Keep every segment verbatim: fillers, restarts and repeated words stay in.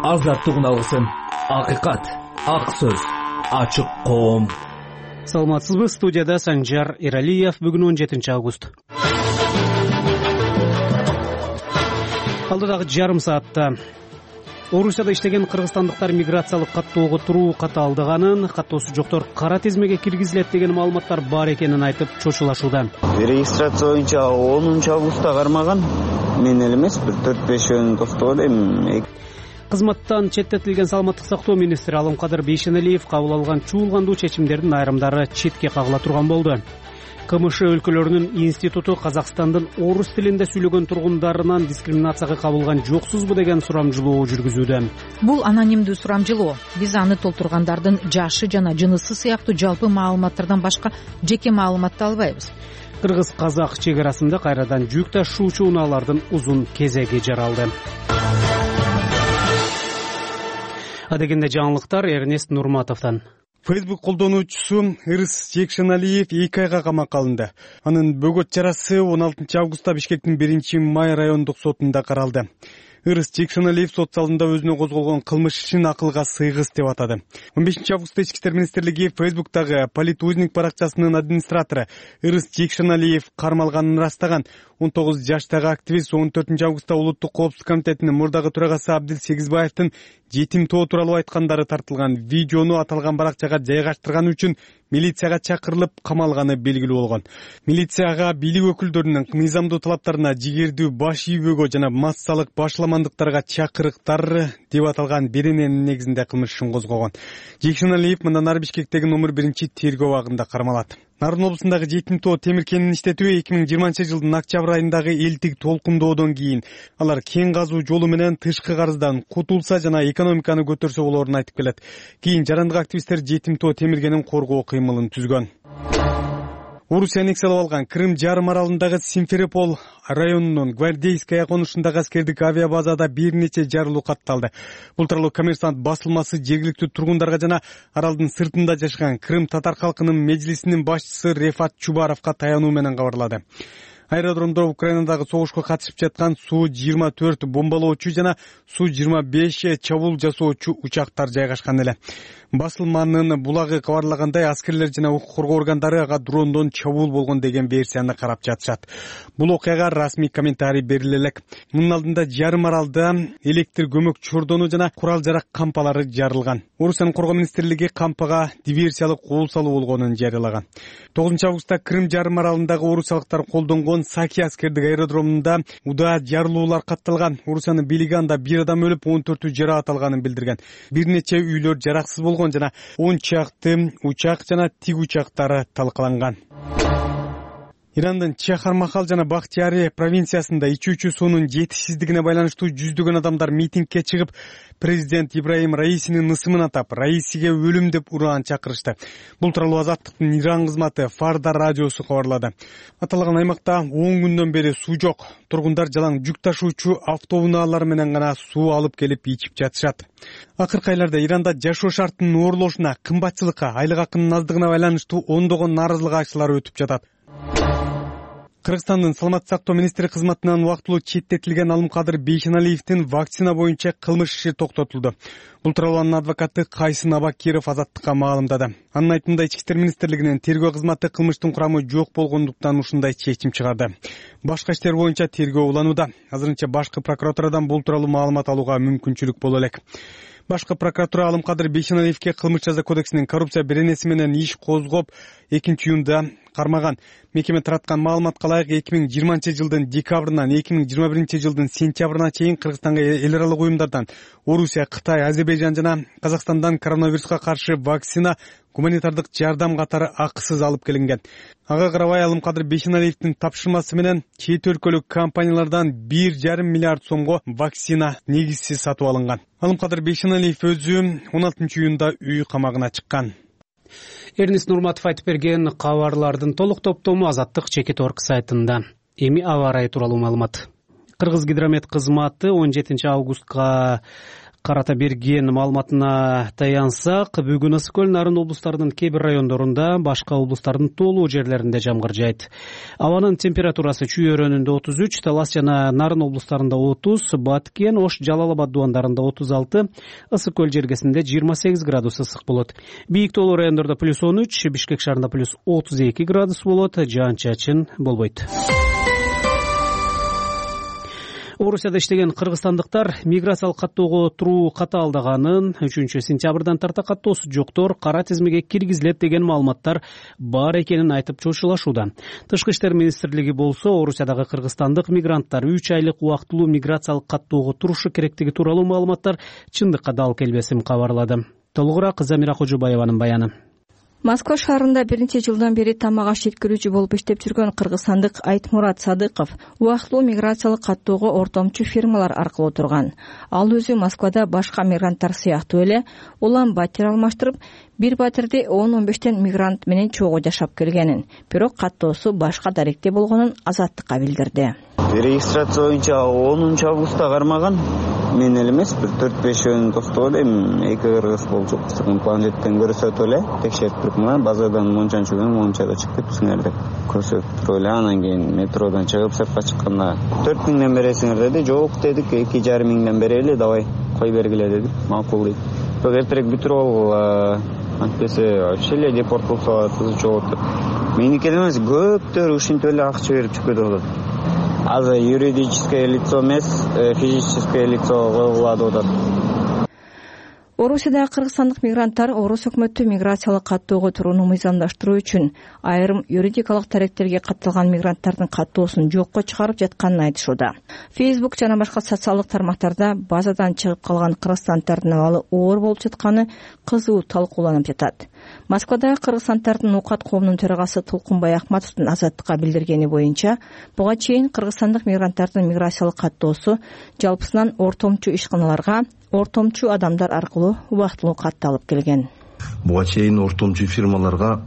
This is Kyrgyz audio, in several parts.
азаттыгын алгысың. Акыйкат, ак сөз, ачык коом. Саламатсызбы? Студияда Санжар Иралиев. Бүгүн он жетинчи август. Алдыдагы жарым саатта Орусияда иштеген кыргызстандыктар миграциялык каттоого туруу катаалдаганын, каттоосу жоктор кара тизмеге киргизилет деген маалыматтар бар экенин айтып чочулашууда. Регистрация боюнча онунчу августта кармаган. Мен эле эмес, бир төрт бешөөнү токтогон эми. Кызматтан четтетилген саламаттык сактоо министри Алымкадыр Бейшеналиев кабыл алган чуулгандуу чечимдердин айрымдары четке кагыла турган болду. КМШ өлкөлөрүнүн институту Казакстандын орус тилинде сүйлөгөн тургундарынан дискриминацияга кабылган жоксузбу деген сурамжылоо жүргүзүүдө. Бул анонимдүү сурамжылоо. Биз аны толтургандардын жашы жана жынысы сыяктуу жалпы маалыматтардан башка жеке маалыматты албайбыз. Кыргыз-казак чек арасында кайрадан жүк ташуучу унаалардын узун кезеги жаралды. Адегенде жаңылыктар Эрнест Нурматовдон. Facebook колдонуучусу Ырыс Жекшеналиев эки айга камакка алынды. Анын бөгөт чарасы он алтынчы августта Бишкектин биринчи май райондук сотунда каралды. Ырыс Жекшеналиев сот залында өзүнө козголгон кылмыш ишин акылга сыйгыс деп атады. он бешинчи августта Ички иштер министрлиги Facebook'тагы политузник баракчасынын администратору Ырыс Жекшеналиев кармалганын ырастаган. он тогуз жаштагы активист он төртүнчү августта Улуттук коопсуздук комитетинин мурдагы төрагасы Абдил Сегизбаевдин жетим тоо тууралуу айткандары тартылган видеону аталган баракчага жайгаштырганы үчүн милицияга чакырылып камалганы белгилүү болгон. Милицияга бийлик өкүлдөрүнүн мыйзамдуу талаптарына жигердүү баш ийүүгө жана массалык башламандыктарга чакырыктар деп аталган берененин негизинде кылмыш ишин козгогон. Жекшеналиев мындан ары Бишкектеги номер биринчи тергөө абагында кармалат. Нарын облусундагы жетим тоо темир кенин иштетүү эки миң жыйырманчы жылдын октябрь айындагы элтик толкундоодон кийин алар кен казуу жолу менен тышкы карыздан кутулса жана экономиканы көтөрсө болоорун айтып келет. Кийин жарандык активисттер жетим тоо темир кенин коргоо кыймылын түзгөн. Орусия аннексиялап алган Крым жарым аралындагы Симферополь районунун Гвардейская конушундагы аскердик авиабазада бир нече жарылуу катталды. Бул тууралуу Коммерсант басылмасы жергиликтүү тургундарга жана аралдын сыртында жашаган Крым татар калкынын межлисинин башчысы Рефат Чубаровго таянуу менен кабарлады. Аэродромдо Украинадагы согушка катышып жаткан Су жыйырма төрт бомбалоочу жана Су жыйырма беш чабуул жасоочу учактар жайгашкан эле. Басылманын булагы кабарлагандай, аскерлер жана укук коргоо органдары ага дрондон чабуул болгон деген версияны карап жатышат. Бул окуяга расмий комментарий бериле элек. Мунун алдында жарым аралда электр көмөк чордону жана курал жарак кампалары жарылган. Орусиянын коргоо министрлиги кампага диверсиялык кол салуу болгонун жарыялаган. тогузунчу августта Крым жарым аралындагы орусиялыктар колдонгон Саки аскердик аэродромунда удаа жарылуулар катталган. Орусиянын бийлиги анда бир адам өлүп, он төртү жараат алганын билдирген. Бир нече үйлөр жараксыз болгон жана он чакты учак жана тиг учактары талкаланган. Ирандын Чахар-Махал жана Бахтияри провинциясында ичүүчү суунун жетишсиздигине байланыштуу жүздөгөн адамдар митингге чыгып, президент Ибраим Раисинин ысымын атап, Раисиге өлүм деп ураан чакырышты. Бул тууралуу Азаттыктын Иран кызматы Фарда радиосу кабарлады. Аталган аймакта он күндөн бери суу жок. Тургундар жалаң жүк ташуучу автоунаалар менен гана суу алып келип ичип жатышат. Акыркы айларда Иранда жашоо шартынын оорлошуна, кымбатчылыкка, айлык акынын аздыгына байланыштуу ондогон нааразылык акчалар өтүп жатат. Кыргызстандын саламаттык сактоо министри кызматынан убактылуу четтетилген Алымкадыр Бейшеналиевдин вакцина боюнча кылмыш иши токтотулду. Бул тууралуу анын адвокаты Кайсын Абакиров Азаттыкка маалымдады. Анын айтымында Ички иштер министрлигинин тергөө кызматы кылмыштын курамы жок болгондуктан ушундай чечим чыгарды. Башка иштер боюнча тергөө уланууда. Азырынча башкы прокуратурадан бул тууралуу маалымат алууга мүмкүнчүлүк боло элек. Башкы прокуратура Алымкадыр Бейшеналиевге кылмыш жаза кодексинин коррупция беренеси менен иш козгоп, экинчи июнда кармаган. Мекеме тараткан маалыматка ылайык эки миң жыйырманчы жылдын декабрынан эки миң жыйырма биринчи жылдын сентябрына чейин Кыргызстанга эл аралык уюмдардан Орусия, Кытай, Азербайжан жана Казакстандан коронавируска каршы вакцина, гуманитардык жардам катары акысыз алып келинген. Ага карабай Алымкадыр Бейшеналиевдин тапшырмасы менен чет өлкөлүк компаниялардан бир жарым миллиард сомго вакцина негизсиз сатып алынган. Алымкадыр Бейшеналиев өзү он алтынчы июнда үй камагына чыккан. Эрнест Нурматов айтып берген кабарлардын толук топтому Азаттык Чекит орг сайтында. Эми аба ырайы тууралуу маалымат. Кыргыз гидромет кызматы он жетинчи августка карата берген маалыматына таянсак, бүгүн ысык көл, Нарын облустарынын кээ бир райондорунда, башка облустардын тоолуу жерлеринде жамгыр жаайт. Абанын температурасы Чүй өрөөнүндө отуз үч, Талас жана Нарын облустарында отуз, Баткен, Ош, Жалал Абад дубандарында отуз алты, ысык көл жергесинде жыйырма сегиз градус ысык болот. Бийик тоолуу райондордо плюс он үч, Бишкек шаарында плюс отуз эки градус болот, жаан-чачын болбойт. Орусияда иштеген кыргызстандыктар миграциялык каттоого туруу катаалдаганын, үчүнчү сентябрдан тарта каттоосу жоктор кара тизмеге киргизилет деген маалыматтар бар экенин айтып чочулашууда. Тышкы иштер министрлиги болсо Орусиядагы кыргызстандык мигранттар үч айлык убактылуу миграциялык каттоого турушу керектиги тууралуу маалыматтар чындыкка дал келбесин кабарлады. Толугураак Замира Кожубаеванын баяны. Москва шаарында бир нече жылдан бери тамак аш жеткирүүчү болуп иштеп жүргөн кыргызстандык Айтмурат Садыков убактылуу миграциялык каттоого ортомчу фирмалар аркылуу турган. Ал өзү Москвада башка мигранттар сыяктуу эле улам батир алмаштырып, бир батирде он он бештен мигрант менен чогуу жашап келгенин, бирок каттоосу башка даректе болгонун Азаттыкка билдирди. Регистрация боюнча онунчу августта кармаган. Мен эле эмес, бир төрт беш жөн достук элем, эки кыргыз болчу. Планеттен көрсөтүп эле текшерип туруп, мына базадан мончанчы күнү мончада чыктыпсыңар деп көрсөтүп туруп эле. Анан кийин метродон чыгып сыртка чыкканда төрт миңден бересиңер деди. Жок дедик, эки жарым миңден берели, давай кой бергиле дедик. Макул дейт. Бирок эртерээк бүтүрүп алгыла, антпесе вообще эле депорт болсо кызыча болот. Меники эмес, көптөр ушинтип эле акча берип чыгып кетип атат. Азыр юридическое лицо эмес, физическое лицо коюлат деп атат. Орусияда кыргызстандык мигранттар орус өкмөтү миграциялык каттоого турууну мыйзамдаштыруу үчүн айрым юридикалык таректерге катталган мигранттардын каттоосун жокко чыгарып жатканын айтышууда. Facebook жана башка социалдык тармактарда базадан чыгып калган кыргызстанддардын абалы оор болуп жатканы кызуу талкууланып жатат. Москвада кыргызстанддардын Укат коомунун төрагасы Толкунбай Акматовдун Азаттыкка билдиргени боюнча, буга чейин кыргызстандык мигранттардын миграциялык каттоосу жалпысынан ортомчу ишканаларга, ортомчу адамдар аркылуу убактылуу катталып келген. Буга чейин ортомчу фирмаларга,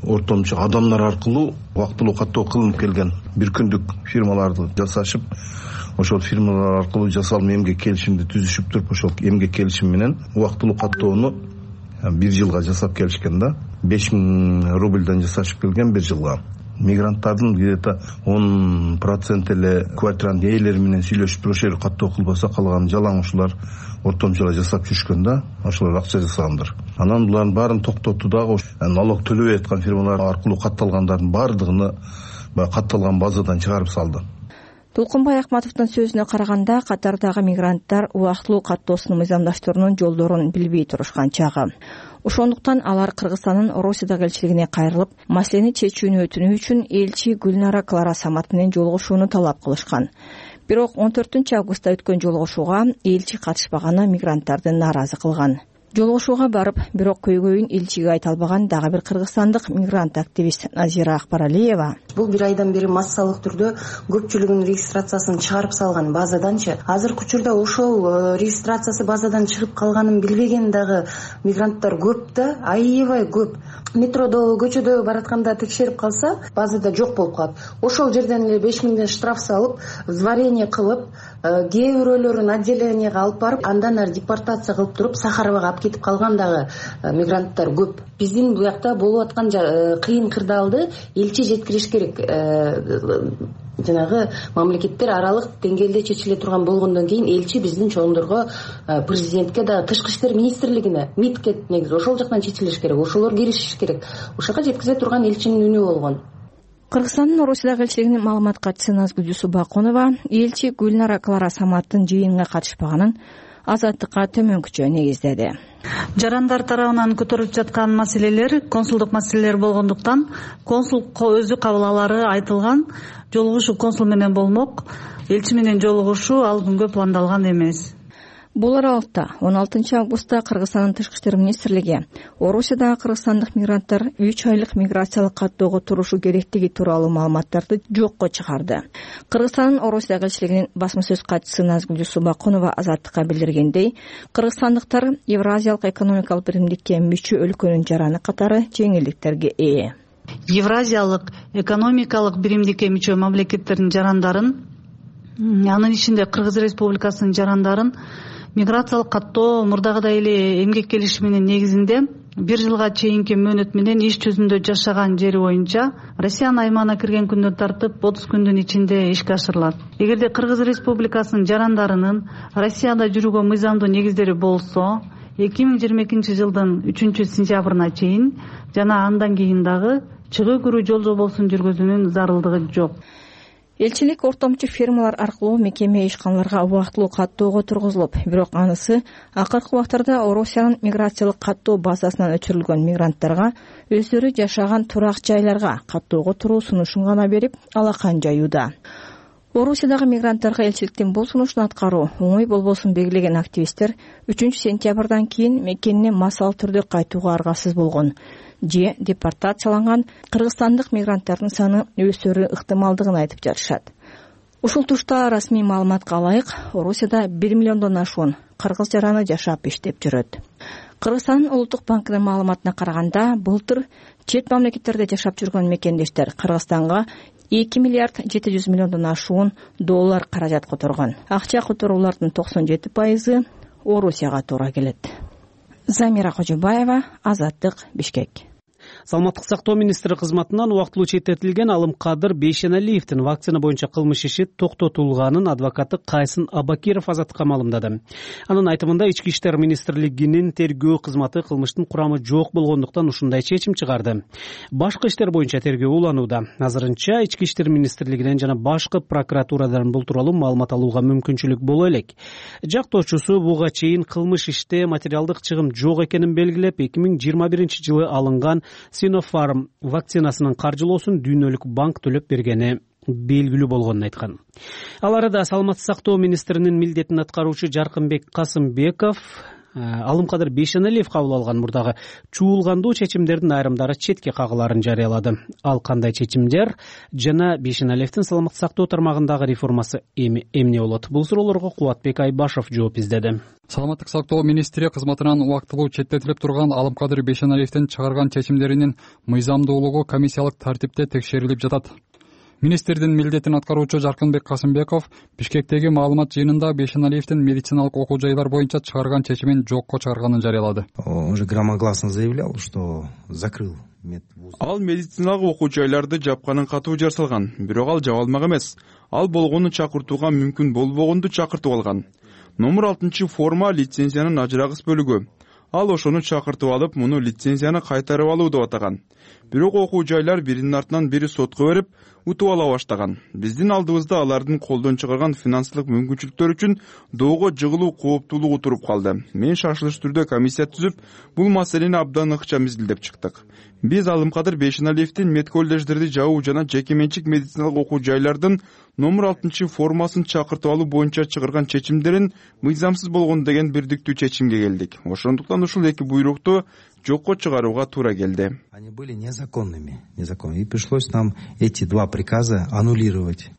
ортомчу адамдар аркылуу убактылуу каттоо кылынып келген. Бир күндүк фирмаларды жасашып, ошол фирмалар аркылуу жасалма эмгек келишимди түзүшүп туруп, ошол эмгек келишим менен убактылуу каттоону бир жылга жасап келишкен да. беш миң рубльдан жасашып келген бир жылга. Мигранттардын где-то он процент эле квартиранын ээлери менен сүйлөшүп ошол жерге каттоо кылбаса, калган жалаң ушулар ортомчула жасап жүрүшкөн да, ошолор акча жасагандар. Анан булардын баарын токтотту дагы, налог төлөбөй аткан фирмалар аркылуу катталгандардын баардыгыны баягы катталган базадан чыгарып салды. Толкунбай Акматовдун сөзүнө караганда, катардагы мигранттар убактылуу каттоосун мыйзамдаштыруунун жолдорун билбей турушкан чагы. Ошондуктан алар Кыргызстандын Орусияда элчилигине кайрылып, маселени чечүүнү өтүнүү үчүн элчи Гүлнара Клара Самат менен жолугушууну талап кылышкан. Бирок он төртүнчү августта өткөн жолугушууга элчи катышпаганы мигранттарды нааразы кылган. Жолугушууга барып, бирок көйгөйүн элчиге айта албаган дагы бир кыргызстандык мигрант активист Назира Акбаралиева: бул бир айдан бери массалык түрдө көпчүлүгүнүн регистрациясын чыгарып салган базаданчы. Азыркы учурда ошол регистрациясы базадан чыгып калганын билбеген дагы мигранттар көп да, аябай көп. Метродо, көчөдө баратканда текшерип калса, базада жок болуп калат. Ошол жерден эле беш миңден штраф салып, взварение кылып, кээ бирөөлөрүн отделенияга алып барып, андан ары депортация кылып туруп, Сахаровага алып кетип калган дагы мигранттар көп. Биздин буякта болуп аткан кыйын кырдаалды элчи жеткириш керек. Жанагы мамлекеттер аралык деңгээлде чечиле турган болгондон кийин элчи биздин чоңдорго, президентке да, тышкы иштер министрлигине, МИДке негизи ошол жактан чечилиш керек. Ошолор киришиш керек. Ошого жеткизе турган элчинин үнү болгон. Кыргызстандын Орусиядагы элчилигинин маалымат катчысы Назгүл Субакунова элчи Гүлнара Клара Саматтын жыйынга катышпаганын Азаттыкка төмөнкүчө негиздеди. Жарандар тарабынан көтөрүлүп жаткан маселелер консулдук маселелер болгондуктан консул өзү кабыл алары айтылган. Жолугушуу консул менен болмок. Элчи менен жолугушуу ал күнгө пландалган эмес. Бул аралыкта он алтынчы августта Кыргызстандын Тышкы иштер министрлиги Орусиядагы кыргызстандык мигранттар үч айлык миграциялык каттоого турушу керектиги тууралуу маалыматтарды жокко чыгарды. Кыргызстандын Орусиядагы элчилигинин басма сөз катчысы Назгүл Субакунова Азаттыкка билдиргендей, кыргызстандыктар Евразиялык экономикалык биримдикке мүчө өлкөнүн жараны катары жеңилдиктерге ээ. Евразиялык экономикалык биримдикке мүчө мамлекеттердин жарандарын анын ичинде Кыргыз Республикасынын жарандарын миграциялык каттоо мурдагыдай эле эмгек келишиминин негизинде бир жылга чейинки мөөнөт менен иш жүзүндө жашаган жери боюнча Россиянын аймагына кирген күндөн тартып отуз күндүн ичинде ишке ашырылат. Эгерде Кыргыз Республикасынын жарандарынын Россияда жүрүүгө мыйзамдуу негиздери болсо эки миң жыйырма экинчи жылдын үчүнчү сентябрына чейин жана андан кийин дагы чыгуу кирүү жол жобосун жүргүзүүнүн зарылдыгы жок. Элчилик ортомчу фирмалар аркылуу мекеме ишканаларга убактылуу каттоого тургузулуп, бирок анысы акыркы убактарда Орусиянын миграциялык каттоо базасынан өчүрүлгөн мигранттарга өздөрү жашаган турак жайларга каттоого туруу сунушун гана берип, алакан жаюуда. Орусиядагы мигранттарга элчиликтин бул сунушун аткаруу оңой болбосун белгилеген активисттер үчүнчү сентябрдан кийин мекенине массалуу түрдө кайтууга аргасыз болгон же депортацияланган кыргызстандык мигранттардын саны өсөрү ыктымалдыгын айтып жатышат. Ушул тушта расмий маалыматка ылайык, Орусияда бир миллиондон ашуун кыргыз жараны жашап иштеп жүрөт. Кыргызстандын улуттук банкынын маалыматына караганда, былтыр чет мамлекеттерде жашап жүргөн мекендештер Кыргызстанга эки миллиард жети жүз миллиондон ашуун доллар каражат которгон. Акча которуулардын токсон жети пайызы Орусияга туура келет. Замира Кожобаева, Азаттык, Бишкек. Саламаттык сактоо министри кызматынан убактылуу четтетилген Алымкадыр Бейшеналиевдин вакцина боюнча кылмыш иши токтотулганын адвокаты Кайсын Абакиров Азаттыкка маалымдады. Анын айтымында Ички иштер министрлигинин тергөө кызматы кылмыштын курамы жок болгондуктан ушундай чечим чыгарды. Башкы иштер боюнча тергөө уланууда. Азырынча Ички иштер министрлигинен жана башкы прокуратурадан бул тууралуу маалымат алууга мүмкүнчүлүк боло элек. Жактоочусу буга чейин кылмыш иште материалдык чыгым жок экенин белгилеп, эки миң жыйырма биринчи жылы алынган Sinopharm вакцинасынын каржылоосун Дүйнөлүк банк төлөп бергени белгилүү болгонун айткан. Ал арада саламаттык сактоо министринин милдетин аткаруучу Жаркынбек Касымбеков Алымкадыр Бейшеналиев кабыл алган мурдагы чуулгандуу чечимдердин айрымдары четке кагыларын жарыялады. Ал кандай чечимдер жана Бейшеналиевдин саламаттык сактоо тармагындагы реформасы эмне болот? Бул суроолорго Кубатбек Айбашев жооп издеди. Саламаттык сактоо министри кызматынан убактылуу четтетилип турган Алымкадыр Бейшеналиевдин чыгарган чечимдеринин мыйзамдуулугу комиссиялык тартипте текшерилип жатат. Министрдин милдетин аткаруучу Жаркынбек Касымбеков Бишкектеги маалымат жыйынында Бейшеналиевдин медициналык окуу жайлар боюнча чыгарган чечимин жокко чыгарганын жарыялады. Он же громогласно заявлял, что закрыл медвуз. Ал медициналык окуу жайларды жапканын катуу жарсалган, бирок ал жаба алмак эмес. Ал болгону чакыртууга мүмкүн болбогонду чакыртып алган. Номер алтынчы форма лицензиянын ажырагыс бөлүгү. Ал ошону чакыртып алып, муну лицензияны кайтарып алуу деп атаган. Бирок окуу жайлар биринин артынан бири сотко берип, утуп ала баштаган. Биздин алдыбызда алардын колдон чыгарган финансылык мүмкүнчүлүктөр үчүн доого жыгылуу кооптуулугу туруп калды. Мен шашылыш түрдө комиссия түзүп, бул маселени абдан ыкчам изилдеп чыктык. Биз Алымкадыр Бейшеналиевдин медколлеждерди жабуу жана жеке менчик медициналык окуу жайлардын номер алтынчы формасын чакыртып алуу боюнча чыгарган чечимдерин мыйзамсыз болгон деген бирдиктүү чечимге келдик. Ошондуктан ушул эки буйрукту жокко чыгарууга туура келди. Они были незаконными, незаконными, и пришлось нам эти два приказа аннулировать.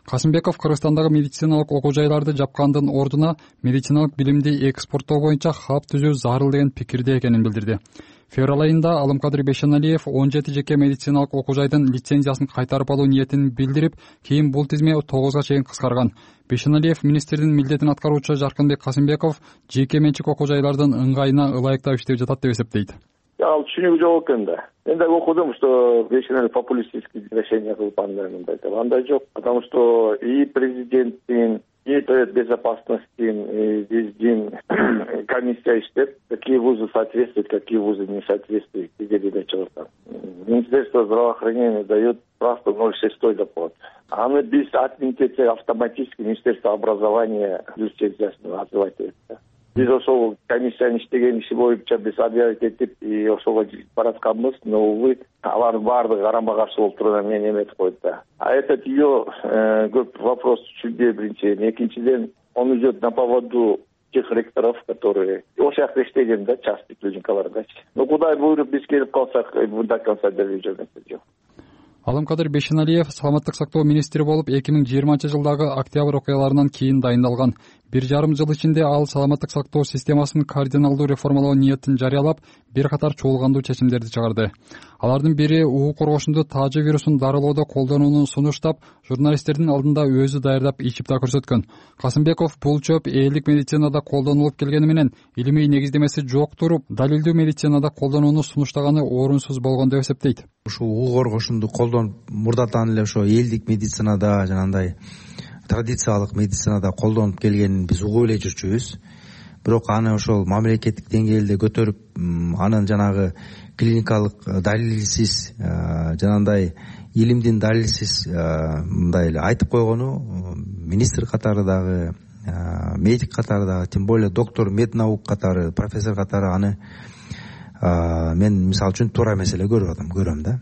Касымбеков Кыргызстандагы медициналык окуу жайларды жапкандын ордуна медициналык билимди экспорттоо боюнча хаб түзүү зарыл деген пикирде экенин билдирди. Февраль айында Алымкадыр Бейшеналиев он жети жеке медициналык окуу жайдын лицензиясын кайтарып алуу ниетин билдирип, кийин бул тизме тогузга чейин кыскарган. Бейшеналиев министрдин милдетин аткаруучу Жаркынбек Касымбеков жеке менчик окуу жайлардын ыңгайына ылайыктап иштеп жатат деп эсептейт. Ал түшүнүгү жок экен да. Мен дагы окудум, что Бейшеналиев популистические решения кылып андай мындай деп. Андай жок, потому что и президенттин и безопасностью биздин комиссия иштеп, какие вузы соответствуют, какие вузы не соответствуют, где чыгат. Министерство здравоохранения дает просто ноль шесть доклад. Аны биз отменить автоматически Министерство образования лицензиясын отзывать этти. Биз ошол комиссиянын иштеген иши боюнча биз объявить этип, и ошого баратканбыз, но увы, алардын баардыгы карама каршы болуп турган мен эметип койду да. А этот ее көп вопрос түшүнбөй биринчиден, экинчиден он идет на поводу тех ректоров, которые ошол жакта иштеген да, частный клиникалардачы. Ну кудай буйруп биз келип калсак, до конца делип жүрмөсү жок. Алымкадыр Бейшеналиев саламаттык сактоо министри болуп эки миң жыйырманчы жылдагы октябрь окуяларынан кийин дайындалган. бир жарым жыл ичинде ал саламаттык сактоо системасын кардиналдуу реформалоо ниетин жарыялап, бир катар чуулгандуу чечимдерди чыгарды. Алардын бири уу коргошунду таажы вирусун дарылоодо колдонууну сунуштап, журналисттердин алдында өзү даярдап ичип да көрсөткөн. Касымбеков бул чөп элдик медицинада колдонулуп келгени менен илимий негиздемеси жок туруп, далилдүү медицинада колдонууну сунуштаганы орунсуз болгон деп эсептейт. Ушул уу коргошунду колдонуп, мурдатан эле ошо элдик медицинада, жанагындай традициялык медицинада колдонуп келгенин биз угуп эле жүрчүбүз. Бирок аны ошол мамлекеттик деңгээлде көтөрүп, анын жанагы клиникалык далилсиз, жанагындай илимдин далилсиз мындай эле айтып койгону министр катары дагы, медик катары дагы, тем более доктор меднаук катары, профессор катары аны мен мисалы үчүн туура эмес эле көрүп атам, көрөм да.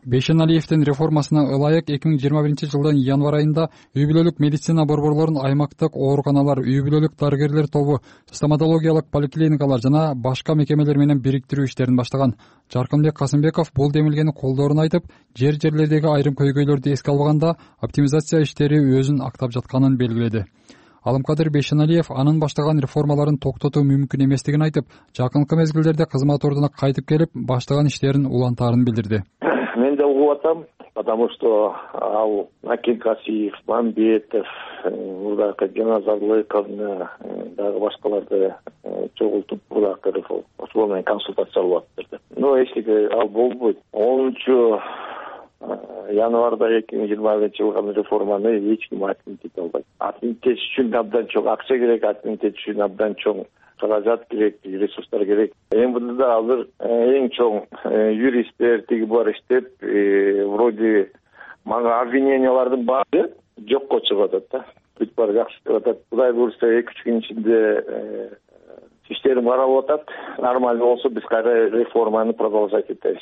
Бейшеналиевдин реформасына ылайык эки миң жыйырма биринчи жылдын январь айында үй бүлөлүк медицина борборлорун аймактык ооруканалар, үй бүлөлүк дарыгерлер тобу, стоматологиялык поликлиникалар жана башка мекемелер менен бириктирүү иштерин баштаган. Жаркынбек Касымбеков бул демилгени колдоорун айтып, жер-жерлердеги айрым көйгөйлөрдү эске албаганда оптимизация иштери өзүн актап жатканын белгиледи. Алымкадыр Бейшеналиев анын баштаган реформаларын токтотуу мүмкүн эместигин айтып, жакынкы мезгилдерде кызмат ордуна кайтып келип, баштаган иштерин улантаарын билдирди. Мен да угуп атам, потому что ал Акен Касиев, Мамбетов, мурдакы Жаназарлыковна, дагы башкаларды чогултуп, мурдакы реформа, ошол менен консультациялап атышты. Но эчтеке ал болбойт. онунчу январда эки миң жыйырма биринчи жылгы реформаны эч ким отменить албайт. Отменить үчүн абдан чоң акча керек, отменить үчүн абдан чоң каражат керек, ресурстар керек. МВДда азыр эң чоң юристтер тиги бар иштеп, вроде мага обвинениялардын баары жокко чыгып атат да. Бүт баары жакшы деп атат. Кудай буйрса эки үч күн ичинде иштерим каралып атат. Нормально болсо биз кайра реформаны продолжать этебиз.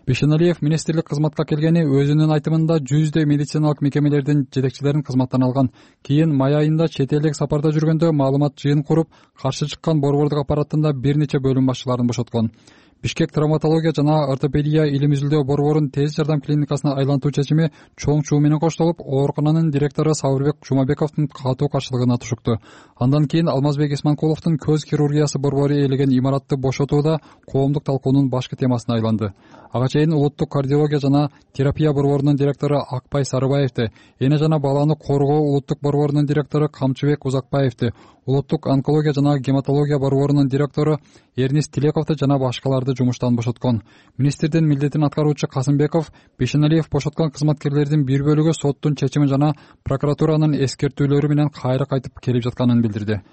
Бейшеналиев министрлик кызматка келгени өзүнүн айтымында жүздөй медициналык мекемелердин жетекчилерин кызматтан алган. Кийин май айында чет элдик сапарда жүргөндө маалымат жыйын куруп, каршы чыккан борбордук аппараттында бир нече бөлүм башчыларын бошоткон. Бишкек травматология жана ортопедия илим изилдөө борборун тез жардам клиникасына айлантуу чечими чоң чуу менен коштолуп, оорукананын директору Сабырбек Жумабековдун катуу каршылыгына тушукту. Андан кийин Алмазбек Исманкуловдун көз хирургиясы борбору ээлеген имаратты бошотууда коомдук талкуунун башкы темасына айланды. Ага чейин улуттук кардиология жана терапия борборунун директору Акпай Сарыбаевди, эне жана баланы коргоо улуттук борборунун директору Камчыбек Узакбаевди, улуттук онкология жана гематология борборунун директору Эрнис Тилековду жана башкаларды жумуштан бошоткон. Министрдин милдетин аткаруучу Касымбеков Бейшеналиев бошоткон кызматкерлердин бир бөлүгү соттун чечими жана прокуратуранын эскертүүлөрү менен кайра кайтып келип жатканын билдирди.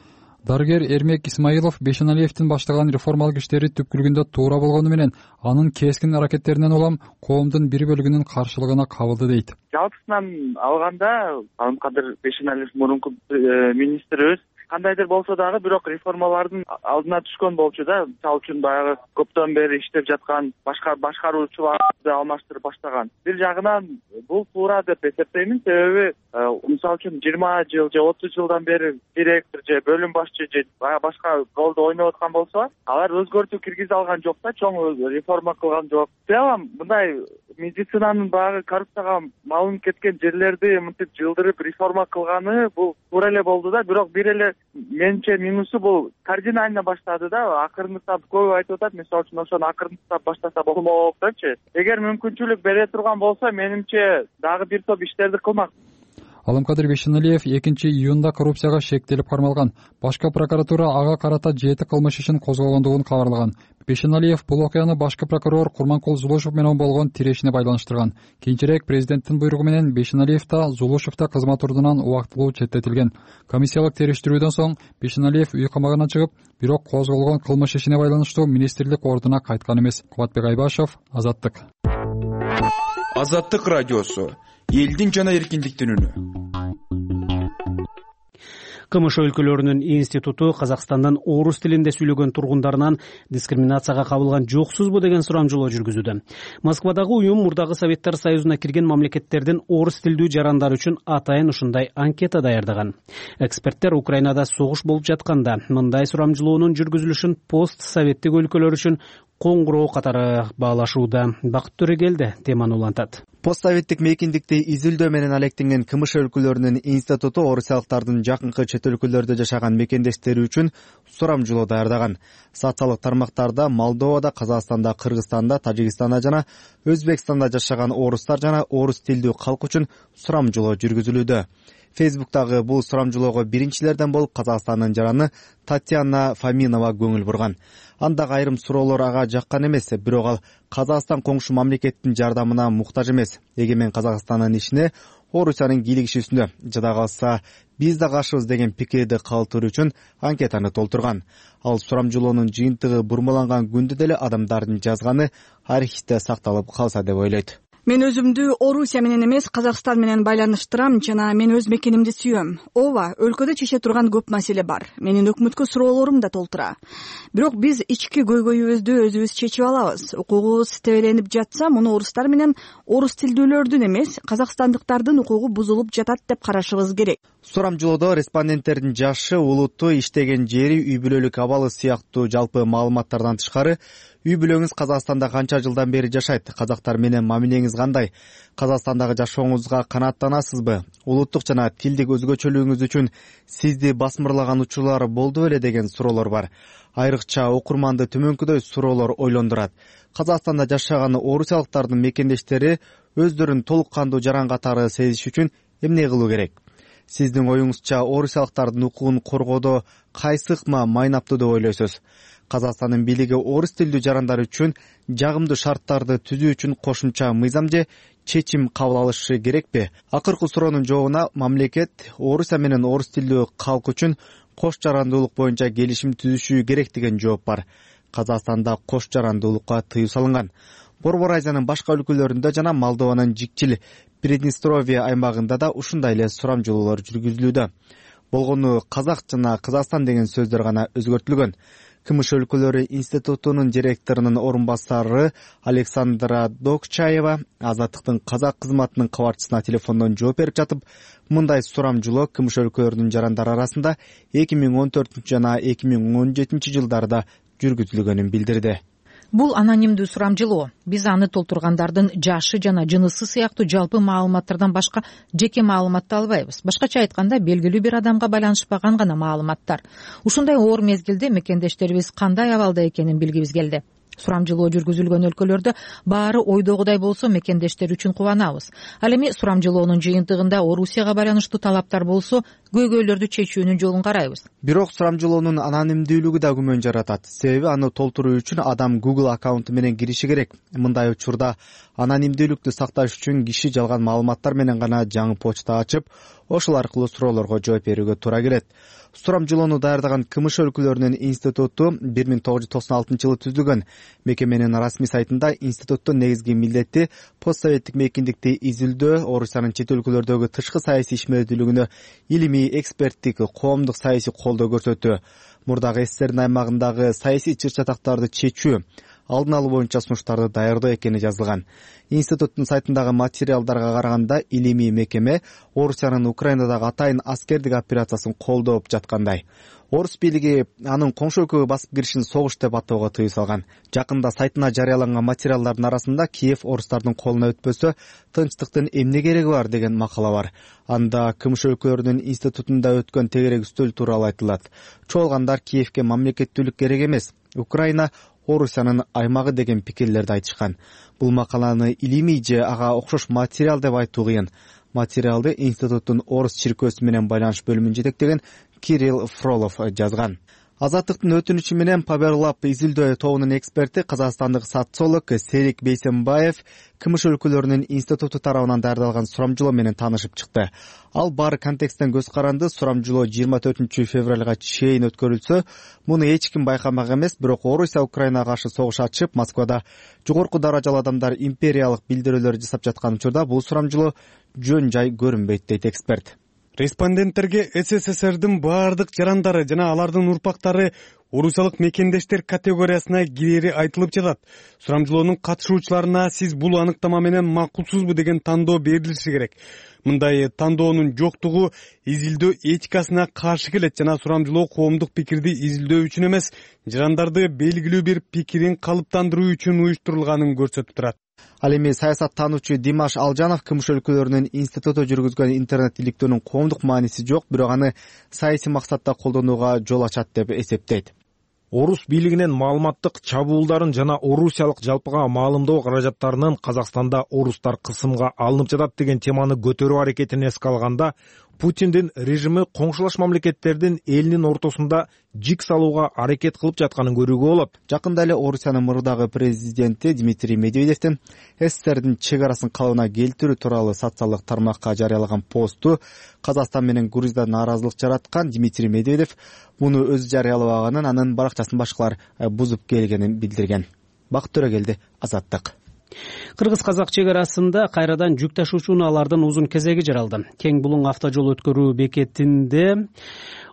Дарыгер Эрмек Исмаилов Бейшеналиевдин баштаган реформалык иштери түпкүлүгүндө туура болгону менен анын кескин аракеттеринен улам коомдун бир бөлүгүнүн каршылыгына кабылды дейт. Жалпысынан алганда Алымкадыр Бейшеналиев мурунку министрибиз кандайдыр болсо дагы бирок реформалардын алдына түшкөн болчу да. Мисалы үчүн баягы көптөн бери иштеп жаткан башка башкаруучуларды алмаштырып баштаган. Бир жагынан бул туура деп эсептеймин, себеби мисалы үчүн жыйырма жыл же отуз жылдан бери директор же бөлүм башчы же башка ролду ойноп аткан болсо, алар өзгөртүү киргизе алган жок да, чоң реформа кылган жок. Целом мындай медицинанын баягы коррупцияга малынып кеткен жерлерди мынтип жылдырып реформа кылганы бул туура эле болду да, бирок бир эле менимче минусу бул кардинально баштады да. Акырындап көп айтып атат, мисалы үчүн ошону акырындап баштаса болмок депчи. Эгер мүмкүнчүлүк бере турган болсо, менимче дагы бир топ иштерди кылмак. Алымкадыр Бейшеналиев экинчи июнда коррупцияга шектелип кармалган. Башкы прокуратура ага карата жети кылмыш ишин козгогондугун кабарлаган. Бейшеналиев бул окуяны башкы прокурор Курманкул Зулушев менен болгон тирешине байланыштырган. Кийинчерээк президенттин буйругу менен Бейшеналиев да, Зулушев да кызмат ордунан убактылуу четтетилген. Комиссиялык териштирүүдөн соң Бейшеналиев үй камагына чыгып, бирок козголгон кылмыш ишине байланыштуу министрлик ордуна кайткан эмес. Кубатбек Айбашев, Азаттык. Азаттык радиосу, элдин жана эркиндиктин үнү. КМШ өлкөлөрүнүн институту Казакстандын орус тилинде сүйлөгөн тургундарынан дискриминацияга кабылган жоксузбу деген сурамжылоо жүргүзүүдө. Москвадагы уюм мурдагы Советтер Союзуна кирген мамлекеттердин орус тилдүү жарандары үчүн атайын ушундай анкета даярдаган. Эксперттер Украинада согуш болуп жатканда мындай сурамжылоонун жүргүзүлүшүн пост советтик өлкөлөр үчүн коңгуроо катары баалашууда. Бакыт Төрегелди теманы улантат. Постсоветтик мейкиндикти изилдөө менен алектенген КМШ өлкөлөрүнүн институту орусиялыктардын жакынкы чет өлкөлөрдө жашаган мекендештери үчүн сурамжылоо даярдаган. Социалдык тармактарда Молдовада, Казакстанда, Кыргызстанда, Тажикстанда жана Өзбекстанда жашаган орустар жана орус тилдүү калк үчүн сурамжылоо жүргүзүлүүдө. Фейсбуктагы бул сурамжылоого биринчилерден болуп Казакстандын жараны Татьяна Фоминова көңүл бурган. Андагы айрым суроолор ага жаккан эмес, бирок ал Казакстан коңшу мамлекеттин жардамына муктаж эмес. Эгемен Казакстандын ишине Орусиянын кийлигишүүсүндө жада калса биз да каршыбыз деген пикирди калтыруу үчүн анкетаны толтурган. Ал сурамжылоонун жыйынтыгы бурмаланган күндө деле адамдардын жазганы архивде сакталып калса деп ойлойт. Мен өзүмдү Орусия менен эмес, Казакстан менен байланыштырам жана мен өз мекенимди сүйөм. Ооба, өлкөдө чече турган көп маселе бар. Менин өкмөткө суроолорум да толтура. Бирок биз ички көйгөйүбүздү өзүбүз чечип алабыз. Укугубуз тебеленип жатса, муну орустар менен орус тилдүүлөрдүн эмес, казакстандыктардын укугу бузулуп жатат деп карашыбыз керек. Сурамжылоодо респонденттердин жашы, улуту, иштеген жери, үй бүлөлүк абалы сыяктуу жалпы маалыматтардан тышкары үй бүлөңүз Казакстанда канча жылдан бери жашайт, казактар менен мамилеңиз кандай, Казакстандагы жашооңузга канааттанасызбы, улуттук жана тилдик өзгөчөлүгүңүз үчүн сизди басмырлаган учурлар болду беле деген суроолор бар. Айрыкча окурманды төмөнкүдөй суроолор ойлондурат. Казакстанда жашаган орусиялыктардын мекендештери өздөрүн толук кандуу жаран катары сезиш үчүн эмне кылуу керек? Сиздин оюңузча орусиялыктардын укугун коргоодо кайсы ыкма майнаптуу деп ойлойсуз? Казакстандын бийлиги орус тилдүү жарандар үчүн жагымдуу шарттарды түзүү үчүн кошумча мыйзам же чечим кабыл алышы керекпи? Акыркы суроонун жообуна мамлекет Орусия менен орус тилдүү калк үчүн кош жарандуулук боюнча келишим түзүшү керек деген жооп бар. Казакстанда кош жарандуулукка тыюу салынган. Борбор Азиянын башка өлкөлөрүндө жана Молдованын жикчил Приднестровье аймагында да ушундай эле сурамжылоолор жүргүзүлүүдө. Болгону казак жана Казакстан деген сөздөр гана өзгөртүлгөн. КМШ өлкөлөрү институтунун директорунун орун басары Александра Докчаева Азаттыктын казак кызматынын кабарчысына телефондон жооп берип жатып, мындай сурамжылоо КМШ өлкөлөрүнүн жарандары арасында эки миң он төртүнчү жана эки миң он жетинчи жылдарда жүргүзүлгөнүн билдирди. Бул анонимдүү сурамжылоо. Биз аны толтургандардын жашы жана жынысы сыяктуу жалпы маалыматтардан башка жеке маалыматты албайбыз. Башкача айтканда, белгилүү бир адамга байланышпаган гана маалыматтар. Ушундай оор мезгилде мекендештерибиз кандай абалда экенин билгибиз келди. Сурамжылоо жүргүзүлгөн өлкөлөрдө баары ойдогудай болсо мекендештер үчүн кубанабыз. Ал эми сурамжылоонун жыйынтыгында Орусияга байланыштуу талаптар болсо, көйгөйлөрдү чечүүнүн жолун карайбыз. Бирок сурамжылоонун анонимдүүлүгү да күмөн жаратат. Себеби аны толтуруу үчүн адам Google аккаунту менен кириши керек. Мындай учурда анонимдүүлүктү сакташ үчүн киши жалган маалыматтар менен гана жаңы почта ачып, ошол аркылуу суроолорго жооп берүүгө туура келет. Сурамжылоону даярдаган КМШ өлкөлөрүнүн институту бир миң тогуз жүз токсон алтынчы жылы түзүлгөн. Мекеменин расмий сайтында институттун негизги милдети постсоветтик мейкиндикти изилдөө, Орусиянын чет өлкөлөрдөгү тышкы саясий ишмердүүлүгүнө илимий, эксперттик, коомдук саясий колдоо көрсөтүү, мурдагы СССРдин аймагындагы саясий чыр-чатактарды чечүү, алдын алуу боюнча сунуштарды даярдоо экени жазылган. Институттун сайтындагы материалдарга караганда, илимий мекеме Орусиянын Украинадагы атайын аскердик операциясын колдоп жаткандай. Орус бийлиги анын коңшу өлкөгө басып киришин согуш деп атоого тыюу салган. Жакында сайтына жарыяланган материалдардын арасында Киев орустардын колуна өтпөсө тынчтыктын эмне кереги бар деген макала бар. Анда КМШ өлкөлөрүнүн институтунда өткөн тегерек үстөл тууралуу айтылат. Чоолгандар Киевке мамлекеттүүлүк керек эмес, Украина Орусиянын аймагы деген пикирлерди айтышкан. Бул макаланы илимий же ага окшош материал деп айтуу кыйын. Материалды институттун орус чиркөөсү менен байланыш бөлүмүн жетектеген Кирилл Фролов жазган. Азаттыктын өтүнүчү менен Паберлап изилдөө тобунун эксперти казакстандык социолог Серик Бейсенбаев КМШ өлкөлөрүнүн институту тарабынан даярдалган сурамжылоо менен таанышып чыкты. Ал баары контексттен көз каранды. Сурамжылоо жыйырма төртүнчү февралга чейин өткөрүлсө, муну эч ким байкамак эмес, бирок Орусия Украинага каршы согуш ачып, Москвада жогорку даражалуу адамдар империялык билдирүүлөр жасап жаткан учурда бул сурамжылоо жөн жай көрүнбөйт дейт эксперт. Респонденттерге СССРдин баардык жарандары жана алардын урпактары орусиялык мекендештер категориясына кирери айтылып жатат. Сурамжылоонун катышуучуларына сиз бул аныктама менен макулсузбу деген тандоо берилиши керек. Мындай тандоонун жоктугу изилдөө этикасына каршы келет жана сурамжылоо коомдук пикирди изилдөө үчүн эмес, жарандарды белгилүү бир пикирин калыптандыруу үчүн уюштурулганын көрсөтүп турат. Ал эми саясаттануучу Димаш Алжанов КМШ өлкөлөрүнүн институту жүргүзгөн интернет иликтөөнүн коомдук мааниси жок, бирок аны саясий максатта колдонууга жол ачат деп эсептейт. Орус бийлигинин маалыматтык чабуулдарын жана орусиялык жалпыга маалымдоо каражаттарынын Казакстанда орустар кысымга алынып жатат деген теманы көтөрүү аракетин эске алганда, Путиндин режими коңшулаш мамлекеттердин элинин ортосунда жик салууга аракет кылып жатканын көрүүгө болот. Жакында эле Орусиянын мурдагы президенти Дмитрий Медведевдин СССРдин чек арасын калыбына келтирүү тууралуу социалдык тармакка жарыялаган посту Казакстан менен Грузияда нааразылык жараткан. Дмитрий Медведев муну өзү жарыялабаганын, анын баракчасын башкалар бузуп келгенин билдирген. Бакыт Төрөгелди, Азаттык. Кыргыз-казак чек арасында кайрадан жүк ташуучу унаалардын узун кезеги жаралды. Кең булуң автожол өткөрүү бекетинде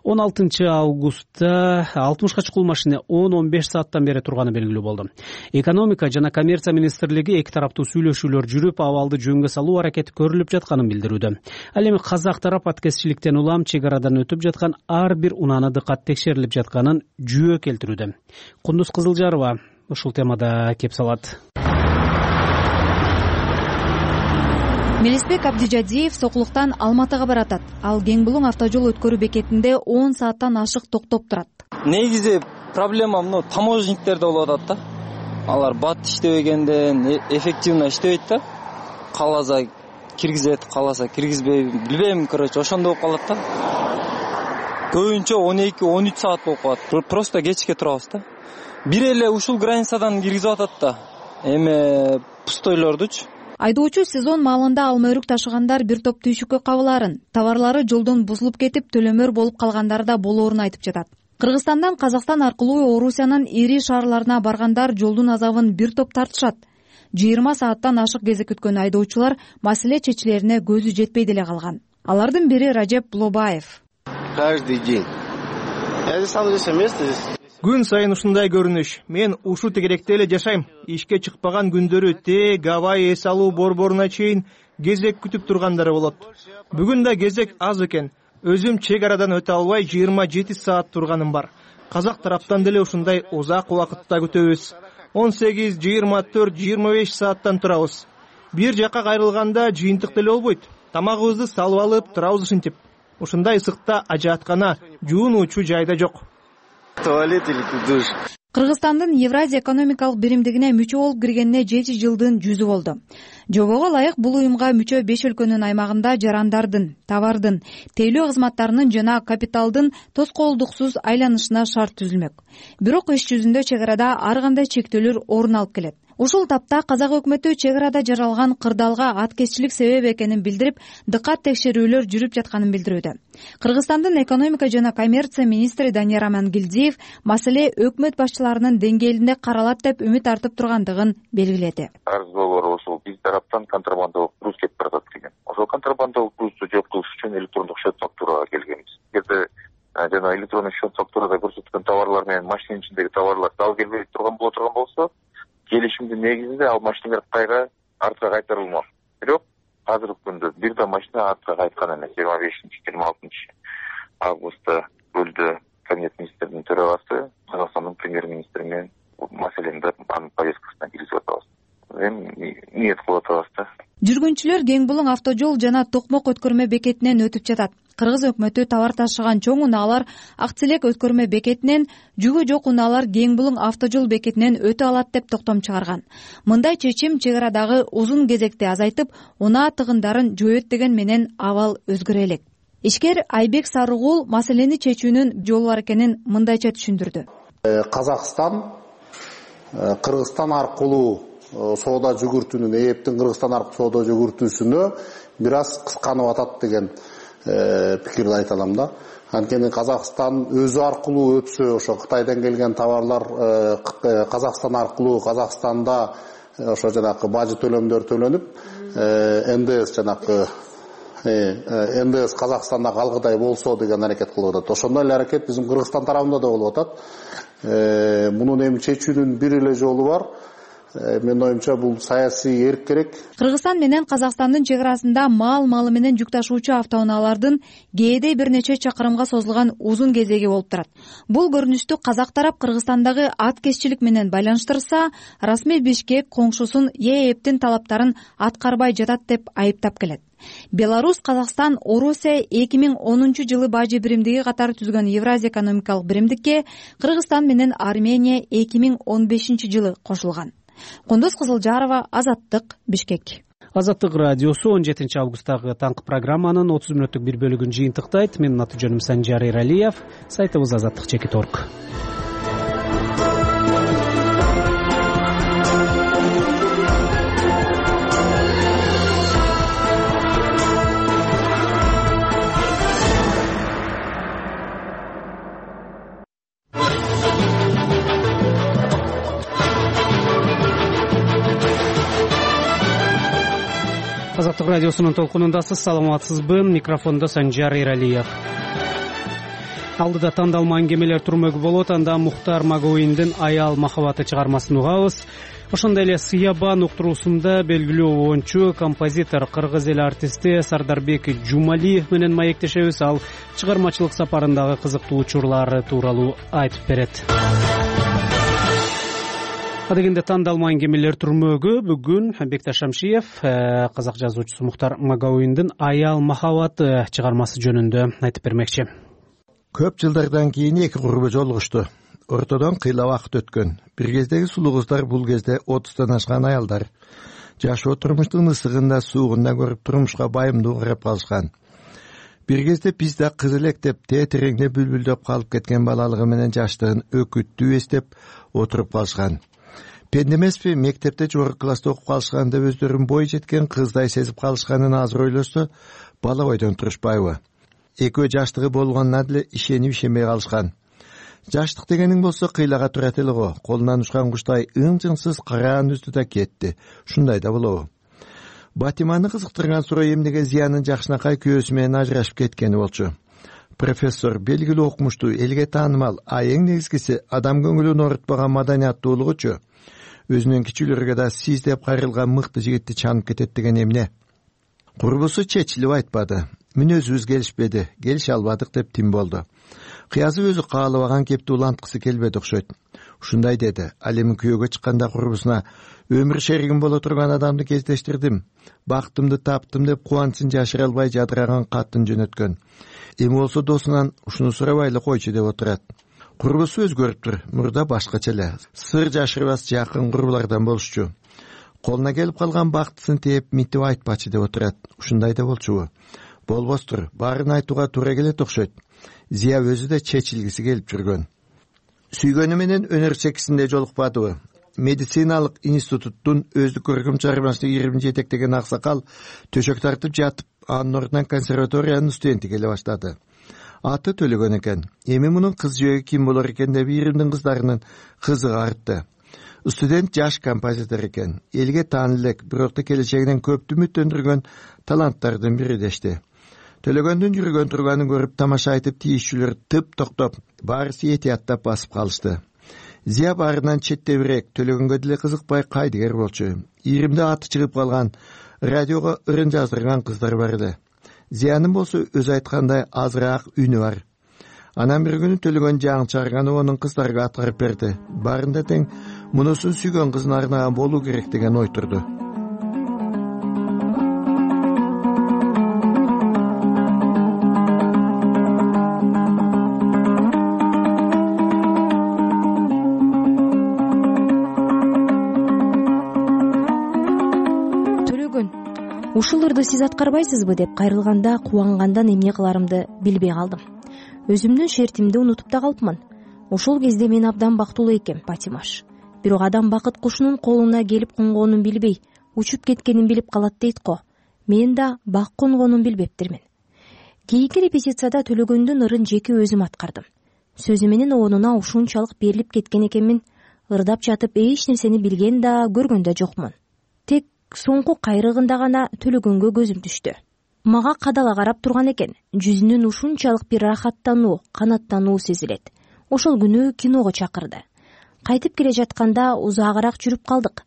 он алтынчы августта алтымышка чукул машина он он беш сааттан бери турганы белгилүү болду. Экономика жана коммерция министрлиги эки тараптуу сүйлөшүүлөр жүрүп, абалды жөнгө салуу аракети көрүлүп жатканын билдирүүдө. Ал эми казак тарап аткезчиликтен улам чек арадан өтүп жаткан ар бир унааны дыкат текшерилип жатканын жүйө келтирүүдө. Кундуз Кызылжарова ушул темада кеп салат. Мелисбек Абдижадиев Сокулуктан Алматыга баратат. Ал Кең булуң автожол өткөрүү бекетинде он сааттан ашык токтоп турат. Негизи проблема мына таможниктерде болуп атат да. Алар бат иштебегенден эффективно иштебейт да. Кааласа киргизет, кааласа киргизбей, билбейм, короче, ошондой болуп калат да. Көбүнчө он эки он үч саат болуп калат. Просто кечке турабыз да. Бир эле ушул границадан киргизип атат да. Эме пустойлордучу. Айдоочу сезон маалында алма өрүк ташыгандар бир топ түйшүккө кабыларын, товарлары жолдон бузулуп кетип, төлөмөр болуп калгандары да болоорун айтып жатат. Кыргызстандан Казакстан аркылуу Орусиянын ири шаарларына баргандар жолдун азабын бир топ тартышат. жыйырма сааттан ашык кезек күткөн айдоочулар маселе чечилерине көзү жетпей деле калган. Алардын бири Ражеп Булобаев. Каждый день. Я здесь сам здесь место здесь. Күн сайын ушундай көрүнүш. Мен ушу тегеректе эле жашайм. Ишке чыкпаган күндөрү тег абай эс алуу борборуна чейин кезек күтүп тургандары болот. Бүгүн да кезек аз экен. Өзүм чек арадан өтө албай жыйырма жети саат турганым бар. Казак тараптан деле ушундай узак убакытта күтөбүз. он сегиз, жыйырма төрт, жыйырма беш сааттан турабыз. Бир жака кайрылганда жыйынтык деле болбойт. Тамагыбызды салып алып турабыз ушинтип. Ушундай ысыкта ажааткана, жуунуучу жайда жок. Туалет или душ. Кыргызстандын Евразия экономикалык биримдигине мүчө болуп киргенине жети жылдын жүзү болду. Жобого ылайык бул уюмга мүчө беш өлкөнүн аймагында жарандардын, товардын, тейлөө кызматтарынын жана капиталдын тоскоолдуксуз айланышына шарт түзүлмөк. Бирок иш жүзүндө чек арада ар кандай чектөөлөр орун алып келет. Ушул тапта казак өкмөтү чек арада жаралган кырдаалга аткезчилик себеп экенин билдирип, дыкат текшерүүлөр жүрүп жатканын билдирүүдө. Кыргызстандын экономика жана коммерция министри Данияр Амангелдиев маселе өкмөт башчыларынын деңгээлинде каралат деп үмүт артып тургандыгын белгиледи. Арыз долбоор ошол биз тараптан контрабандалык груз келип баратат деген. Ошол контрабандалык грузду жок кылыш үчүн электрондук счет фактурага келгенбиз. Эгерде жана электрондук счет фактурада көрсөткөн товарлар менен машинанын ичиндеги товарлар дал келбей турган боло турган болсо, келишимдин негизинде ал машиналар кайра артка кайтарылмак. Бирок азыркы күндө бир да машина артка кайткан эмес. жыйырма бешинчи жыйырма алтынчы августта Көлдө кабинет министринин төрагасы Казакстандын премьер-министри менен маселени анын повесткасына киргизип атабыз. Эми ниет кылып атабыз да. Жүргүнчүлөр Кең булуң автожол жана Токмок өткөрмө бекетинен өтүп жатат. Кыргыз өкмөтү товар ташыган чоң унаалар Акцелек өткөрмө бекетинен, жүгү жок унаалар Кең булуң автожол бекетинен өтө алат деп токтом чыгарган. Мындай чечим чек арадагы узун кезекти азайтып, унаа тыгындарын жоет деген менен абал өзгөрө элек. Ишкер Айбек Сарыгул маселени чечүүнүн жолу бар экенин мындайча түшүндүрдү. Казакстан Кыргызстан аркылуу соода жүгүртүүнүн, эптин Кыргызстан аркылуу соода жүгүртүүсүнө бир аз кысканып атат деген пикирди айта алам да. Анткени Казакстан өзү аркылуу өтсө, ошо Кытайдан келген товарлар Казакстан аркылуу Казакстанда ошо жанагы бажы төлөмдөр төлөнүп, эн дэ эс жанагы эн дэ эс Казакстанда калгыдай болсо деген аракет кылып атат. Ошондой эле аракет биздин Кыргызстан тарабында да болуп атат. Мунун эми чечүүнүн бир эле жолу бар. Менин оюмча бул саясий эрк керек. Кыргызстан менен Казакстандын чек арасында мал малы менен жүк ташуучу автоунаалардын кээде бир нече чакырымга созулган узун кезеги болуп турат. Бул көрүнүштү казак тарап Кыргызстандагы аткезчилик менен байланыштырса, расмий Бишкек коңшусун ЕЭБтин талаптарын аткарбай жатат деп айыптап келет. Беларусь, Казакстан, Орусия эки миң онунчу жылы бажы биримдиги катары түзгөн Евразия экономикалык биримдикке Кыргызстан менен Армения эки миң он бешинчи жылы кошулган. Кундуз Кызылжарова, Азаттык, Бишкек. Азаттык радиосу он жетинчи августтагы таңкы программанын отуз мүнөттүк бир бөлүгүн жыйынтыктайт. Менин аты жөнүм Санжар Эралиев. Сайтыбыз азаттык чекит точка орг. Азаттык радиосунун толкунундасыз. Саламатсызбы? Микрофондо Санжар Эралиев. Алдыда тандалма аңгемелер турмөгү болот. Анда Мухтар Магоиндин Аял махабаты чыгармасын угабыз. Ошондой эле Сыябан уктуруусунда белгилүү оончу, композитор, кыргыз эл артисти Сардарбек Жумалиев менен маектешебиз. Ал чыгармачылык сапарындагы кызыктуу учурлары тууралуу айтып берет. Адегенде тандалма аңгемелер турмөгү бүгүн Бекташ Шамшиев казак жазуучусу Мухтар Магоиндин Аял махабаты чыгармасы жөнүндө айтып бермекчи. Көп жылдардан кийин эки курбу жолугушту. Ортодон кыйла убакыт өткөн. Бир кездеги сулуу кыздар бул кезде отуздан ашкан аялдар. Жашоо турмуштун ысыгында, суугунда көрүп турмушка байымдуу карап калышкан. Бир кезде биз да кыз элек деп тетиреңде бүлбүлдөп калып кеткен балалыгы менен жаштыгын өкүттүү эстеп отуруп калышкан. Пенде эмеспи, мектепте жогорку класста окуп калышкан деп өздөрүн бой жеткен кыздай сезип калышканын азыр ойлосо, бала бойдон турушпайбы? Экөө жаштыгы болгонуна деле ишенип ишенбей калышкан. Жаштык дегениң болсо кыйлага турат эле го. Колунан учкан куштай ың-жыңсыз караан үздү да кетти. Ушундай да болобу? Батиманы кызыктырган суроо эмнеге Зиянын жакшынакай күйөөсү менен ажырашып кеткени болчу. Профессор белгилүү окумуштуу, элге таанымал, а эң негизгиси адам көңүлүн оорутпаган маданияттуулугучу. Өзүнүн кичүүлөргө да сиз деп кайрылган мыкты жигитти чанып кетет деген эмне? Курбусу чечилип айтпады. Мүнөзүбүз келишпеди, келише албадык деп тим болду. Кыязы өзү каалабаган кепти уланткысы келбеди окшойт. Ушундай деди. Ал эми күйөөгө чыкканда курбусуна өмүр шеригим боло турган адамды кездештирдим. Бактымды таптым деп кубанычын жашыра албай жадыраган катын жөнөткөн. Эми болсо досунан ушуну сурабай эле койчу деп отурат. Курбусу өзгөрүптүр. Мурда башкача эле. Сыр жашырбас жакын курбулардан болушчу. Колуна келип калган бактысын тээп митип айтпачы деп отурат. Ушундай да болчубу? Болбостур. Баарын айтууга туура келет окшойт. Зия өзү да чечилгиси келип жүргөн. Сүйгөнү менен өнөр чекисинде жолукпадыбы? Медициналык институттун өздүк көркөм чыгармасына ирим жетектеген аксакал төшөк тартып жатып, анын ордунан консерваториянын студенти келе баштады. Аты Төлөгөн экен. Эми мунун кыз жөөгү ким болор экен деп иримдин кыздарынын кызыгы артты. Студент жаш композитор экен. Элге таанылуу элек, бирок да келечегинен көптү үмүттөндүргөн таланттардын бири дешти. Төлөгөндүн жүргөн турганын көрүп тамаша айтып тийишчүлөр тып токтоп, баарысы этияттап басып калышты. Зия баарынан четтебирээк, Төлөгөнгө деле кызыкпай кайдыгер болчу. Иримде аты чыгып калган, радиого ырын жаздырган кыздар бар эле. Зиянын болсо өзү айткандай азыраак үнү бар. Анан бир күнү Төлөгөн жаңы чыгарганы онун кыздарга аткарып берди. Баарында тең мунусун сүйгөн кызын арнаган болуу керек деген ой турду. Ушул ырды сиз аткарбайсызбы деп кайрылганда кубангандан эмне кыларымды билбей калдым. Өзүмдүн шертимди унутуп да калыпмын. Ошол кезде мен абдан бактылуу экем, Патимаш. Бирок адам бакыт кушунун колуна келип конгонун билбей, учуп кеткенин билип калат дейт го. Мен да бак конгонун билбептирмин. Кийинки репетицияда Төлөгөндүн ырын жеке өзүм аткардым. Сөзү менен оонуна ушунчалык берилип кеткен экенмин. Ырдап жатып эч нерсени билген да, көргөн да жокмун. Тек соңку кайрыгында гана Төлөгөнгө көзүм түштү. мага кадала карап турган экен. Жүзүнөн ушунчалык бир рахаттануу, канаттануу сезилет. Ошол күнү киного чакырды. Кайтып келе жатканда узаагыраак жүрүп калдык.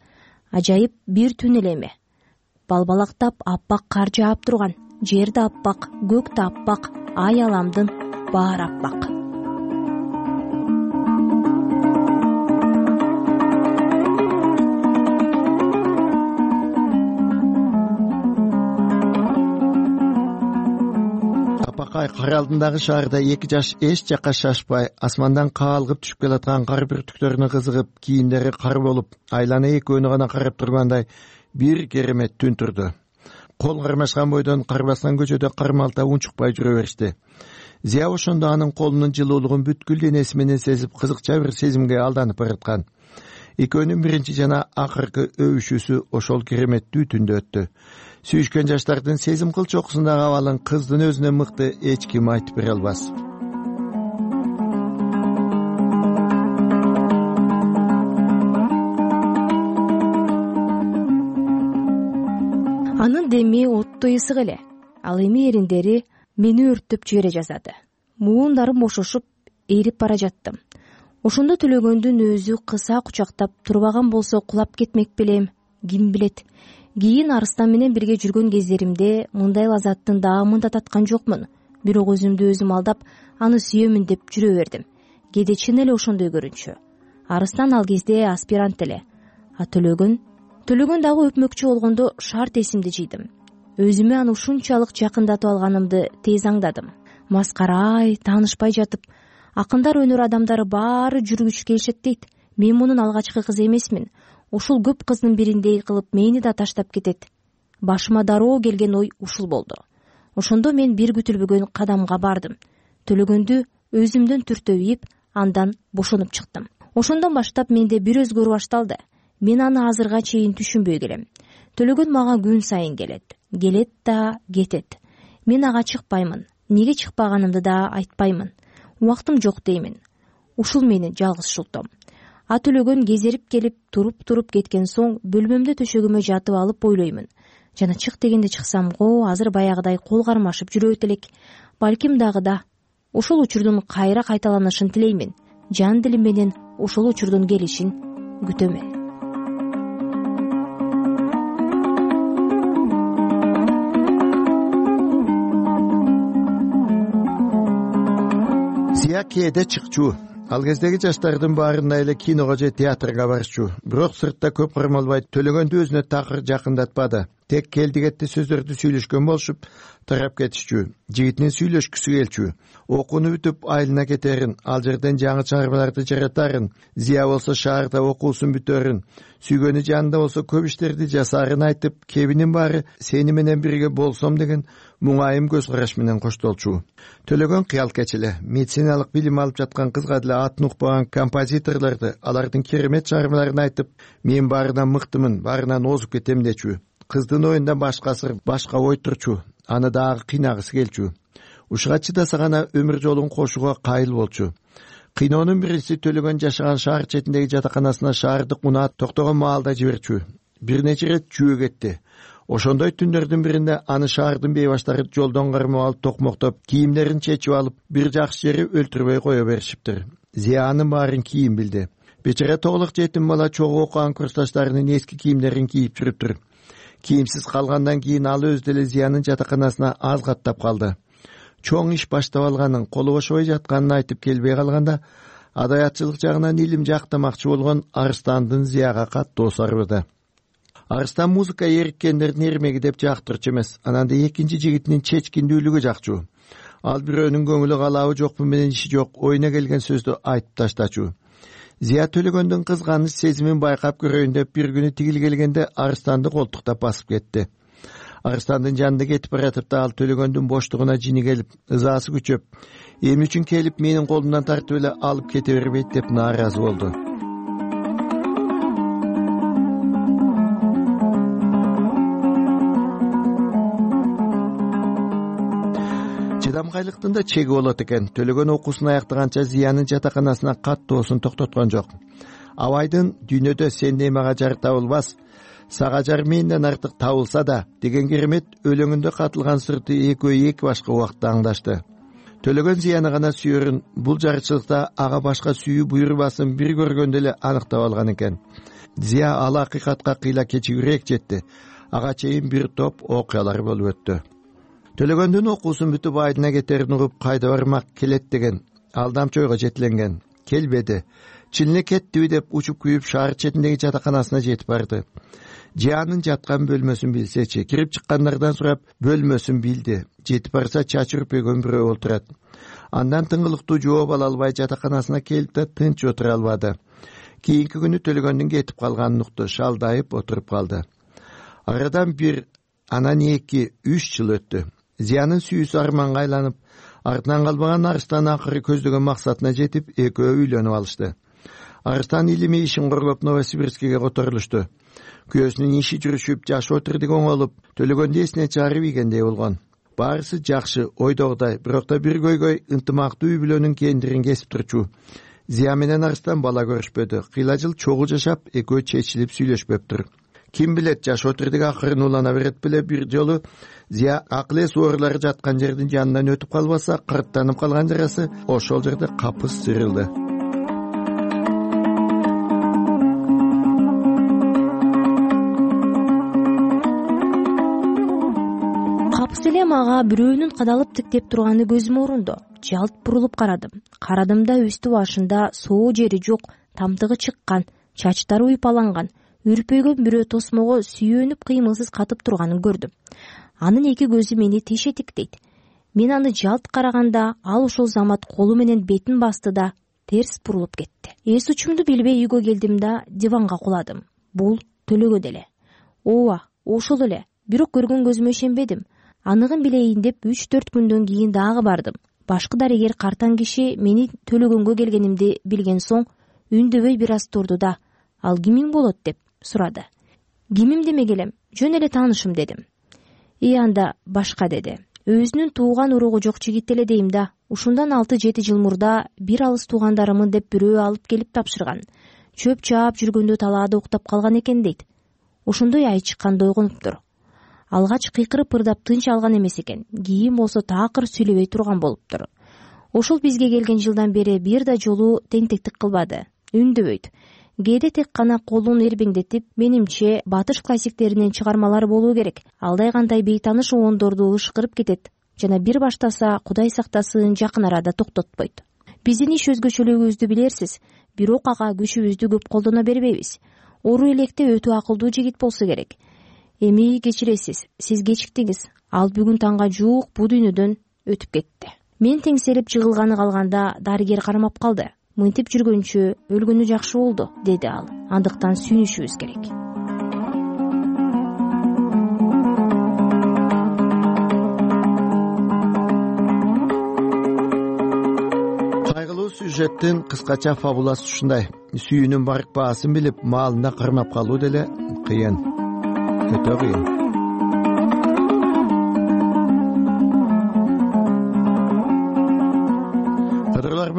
Ажайып бир түн эле эме. Балбалактап аппак кар жаап турган. Жер да аппак, көк да аппак, ай аламдын баары аппак. Апакай кар алдындагы шаарда эки жаш эч жакка шашпай, асмандан каалгып түшүп келаткан кар бүртүктөрүнө кызыгып, кийимдери кар болуп, айлана экөөнү гана карап тургандай бир керемет түн турду. Кол кармашкан бойдон кар баскан көчөдө кармалта унчукпай жүрө беришти. Зия ошондо анын колунун жылуулугун бүткүл денеси менен сезип, кызыкча бир сезимге алданып бараткан. Экөөнүн биринчи жана акыркы өбүшүүсү ошол кереметтүү түндө өттү. Сүйүшкөн жаштардын сезим кыл чокусундагы абалын кыздын өзүнөн мыкты эч ким айтып бере албас. Анын деми оттой ысык эле. Ал эми эриндери мени өрттөп жибере жаздады. Муундарым бошошуп, ээрип бара жаттым. Ошондо Төлөгөндүн өзү кыса кучактап турбаган болсо кулап кетмек белем, ким билет. Кийин Арыстан менен бирге жүргөн кездеримде мындай лазаттын даамын да таткан жокмун. Бирок өзүмдү өзүм алдап, аны сүйөмүн деп жүрө бердим. Кээде чын эле ошондой көрүнчү. Арыстан ал кезде аспирант эле. А Төлөгөн Төлөгөн дагы өпмөкчү болгондо шарт эсимди жыйдым. Өзүмө аны ушунчалык жакындатып алганымды тез аңдадым. Маскарай, таанышпай жатып, акындар, өнөр адамдары баары жүргүч келишет дейт. Мен мунун алгачкы кызы эмесмин. Ушул көп кыздын бириндей кылып мени да таштап кетет. Башыма дароо келген ой ушул болду. Ошондо мен бир күтүлбөгөн кадамга бардым. Төлөгөндү өзүмдөн түртөп ийип, андан бошонуп чыктым. Ошондон баштап менде бир өзгөрүү башталды. Мен аны азырга чейин түшүнбөй келем. Төлөгөн мага күн сайын келет. Келет да кетет. Мен ага чыкпаймын. Неге чыкпаганымды да айтпаймын. Убактым жок деймин. Ушул менин жалгыз шултом. А Төлөгөн кезерип келип, туруп-туруп кеткен соң бөлмөмдө төшөгүмө жатып алып ойлоймун. Жана чык дегенде чыксам го, азыр баягыдай кол кармашып жүрөт элек. Балким дагы да. Ушул учурдун кайра кайталанышын тилеймин. Жан дилим менен ушул учурдун келишин күтөмүн. Зия кээде чыкчу. Ал кездеги жаштардын баарында эле киного же театрга барчу. Бирок сыртта көп кармалбай Төлөгөндү өзүнө такыр жакындатпады. Тек келдигетти сөздөрдү сүйлөшкөн болушуп, тарап кетишчү. Жигитинин сүйлөшкүсү келчү. Окууну бүтүп айылына кетерин, ал жерден жаңы чыгармаларды жаратарын, Зия болсо шаарда окуусун бүтөрүн, сүйгөнү жанында болсо көп иштерди жасаарын айтып, кебинин баары сени менен бирге болсом деген муңайым көз караш менен коштолчу. Төлөгөн кыял кечиле, медициналык билим алып жаткан кызга деле атын укпаган композиторлорду, алардын керемет чыгармаларын айтып, мен баарынан мыктымын, баарынан озуп кетем дечү. Кыздын оюнда башка сыр, башка ой турчу. Аны дагы кыйнагысы келчү. Ушуга чыдаса гана өмүр жолун кошууга кайыл болчу. Кыйноонун биринчиси Төлөгөн жашаган шаар четиндеги жатаканасына шаардык унаат токтогон маалда жиберчү. Бир нече ирет жөө кетти. Ошондой түндөрдүн биринде аны шаардын бейбаштары жолдон кармап алып токмоктоп, кийимдерин чечип алып, бир жакшы жери өлтүрбөй кое беришиптир. Зия анын баарын кийин билди. Бечара тоголук жетим бала чогуу окуган курсташтарынын эски кийимдерин кийип жүрүптүр. Кийимсиз калгандан кийин ал өзү деле Зиянын жатаканасына аз каттап калды. Чоң иш баштап алганын, колу бошобой жатканын айтып келбей калганда, адаятчылык жагынан илим жактамакчы болгон Арыстандын Зияга каттуу сарбады. Арыстан музыка эриккендердин эрмеги деп жактырчу эмес, анан да экинчи жигитинин чечкиндүүлүгү жакчу. Ал бирөөнүн көңүлү калабы жокпу менен иши жок, оюна келген сөздү айтып таштачу. Зия Төлөгөндүн кызганыч сезимин байкап көрөйүн деп бир күнү тигил келгенде Арыстанды колтуктап басып кетти. Арыстандын жанында кетип баратып да ал Төлөгөндүн боштугуна жини келип, ызаасы күчөп, эмне үчүн келип менин колумдан тартып эле алып кете бербейт деп нааразы болду. Чыдамкайлыктын да чеги болот экен. Төлөгөн окуусун аяктаганча Зиянын жатаканасына каттоосун токтоткон жок. Абайдын «Дүйнөдө сендей мага жар табылбас, сага жарым миңден артык табылса да деген керемет өлөңүндө катылган сырты экөө эки башка убакытта аңдашты. Төлөгөн зыяны гана сүйөрүн бул жарычылыкта ага башка сүйүү буйрубасын бир көргөндө эле аныктап алган экен. Зия ал акыйкатка кыйла кечигирээк жетти. Ага чейин бир топ окуялар болуп өттү. Төлөгөндүн окуусун бүтүп айдына кетерин угуп кайда бармак келет деген алдамчы ойго жетиленген. Келбеди. Чын эле кеттиби деп учуп күйүп шаар четиндеги жатаканасына жетип барды. Жиянын жаткан бөлмөсүн билсечи, кирип чыккандардан сурап бөлмөсүн билди. Жетип барса чачы үрпөгөн бирөө отурат. Андан тыңгылыктуу жооп ала албай жатаканасына келип да тынч отура албады. Кийинки күнү Төлөгөндүн кетип калганын укту, шалдайып отуруп калды. Арадан бир, анан эки, үч жыл өттү. Зиянын сүйүүсү арманга айланып, артынан калбаган Арыстан акыры көздөгөн максатына жетип, экөө үйлөнүп алышты. Арыстан илими ишин корлоп Новосибирскиге которулушту. Күйөөсүнүн иши жүрүшүп, жашы отурдук оңолуп, Төлөгөндү эсине чыгарып ийгендей болгон. Баарысы жакшы, ойдогудай, бирок да бир көйгөй ынтымактуу үй бүлөнүн кендирин кесип турчу. Зия менен Арыстан бала көрүшпөдү. Кыйла жыл чогуу жашап, экөө чечилип сүйлөшпөптүр. Ким билет, жаш отурдук акырын улана берет беле бир жолу Зия акыл эс оорулары жаткан жердин жанынан өтүп калбаса, кырттанып калган жарасы ошол жерде капыс сырылды. Капыс эле мага бирөөнүн кадалып тиктеп турганы көзүмө урундо. Жалт бурулуп карадым. Карадым да үстү башында соо жери жок, тамтыгы чыккан, чачтары уйпаланган, үрпөйгөн бирөө тосмого сүйөнүп кыймылсыз катып турганын көрдүм. Анын эки көзү мени тише тиктейт. Мен аны жалт караганда ал ошол замат колу менен бетин басты да терс бурулуп кетти. Эс учумду билбей үйгө келдим да диванга куладым. Бул Төлөгөн эле. Ооба, ошол эле. Бирок көргөн көзүмө ишенбедим. Аныгын билейин деп үч төрт күндөн кийин дагы бардым. Башкы дарыгер картаң киши мени Төлөгөнгө келгенимди билген соң үндөбөй бир аз турду да, ал кимиң болот деп сурады. Кимим демек элем, жөн эле таанышым дедим. И анда башка деди. Өзүнүн тууган уругу жок жигит эле дейм да. Ушундан алты жети жыл мурда бир алыс туугандарымын деп бирөө алып келип тапшырган. Чөп чаап жүргөндө талаада уктап калган экен дейт. Ошондой ай чыкканда ойгонуптур. Алгач кыйкырып ырдап тынч алган эмес экен. Кийин болсо такыр сүйлөбөй турган болуптур. Ошол бизге келген жылдан бери бир да жолу теңтектик кылбады. Үндөбөйт. Кээде тек гана колун эрбеңдетип, менимче батыш классиктеринен чыгармалар болуу керек. Алдай кандай бейтаныш оондорду ышкырып кетет жана бир баштаса Кудай сактасын жакын арада токтотпойт. Биздин иш өзгөчөлүгүбүздү билерсиз, бирок ага күчүбүздү көп колдоно бербейбиз. Ору электе өтө акылдуу жигит болсо керек. Эми кечиресиз, сиз кечиктиңиз. Ал бүгүн таңга жуук бу дүйнөдөн өтүп кетти. Мен теңселип жыгылганы калганда дарыгер кармап калды. Мынтип жүргөнчө өлгөнү жакшы болду, деди ал. Андыктан сүйүнүшүбүз керек. Кайгылуу сюжеттин кыскача фабуласы ушундай. Сүйүүнүн барк баасын билип, маалында кармап калуу деле кыйын. Өтө кыйын.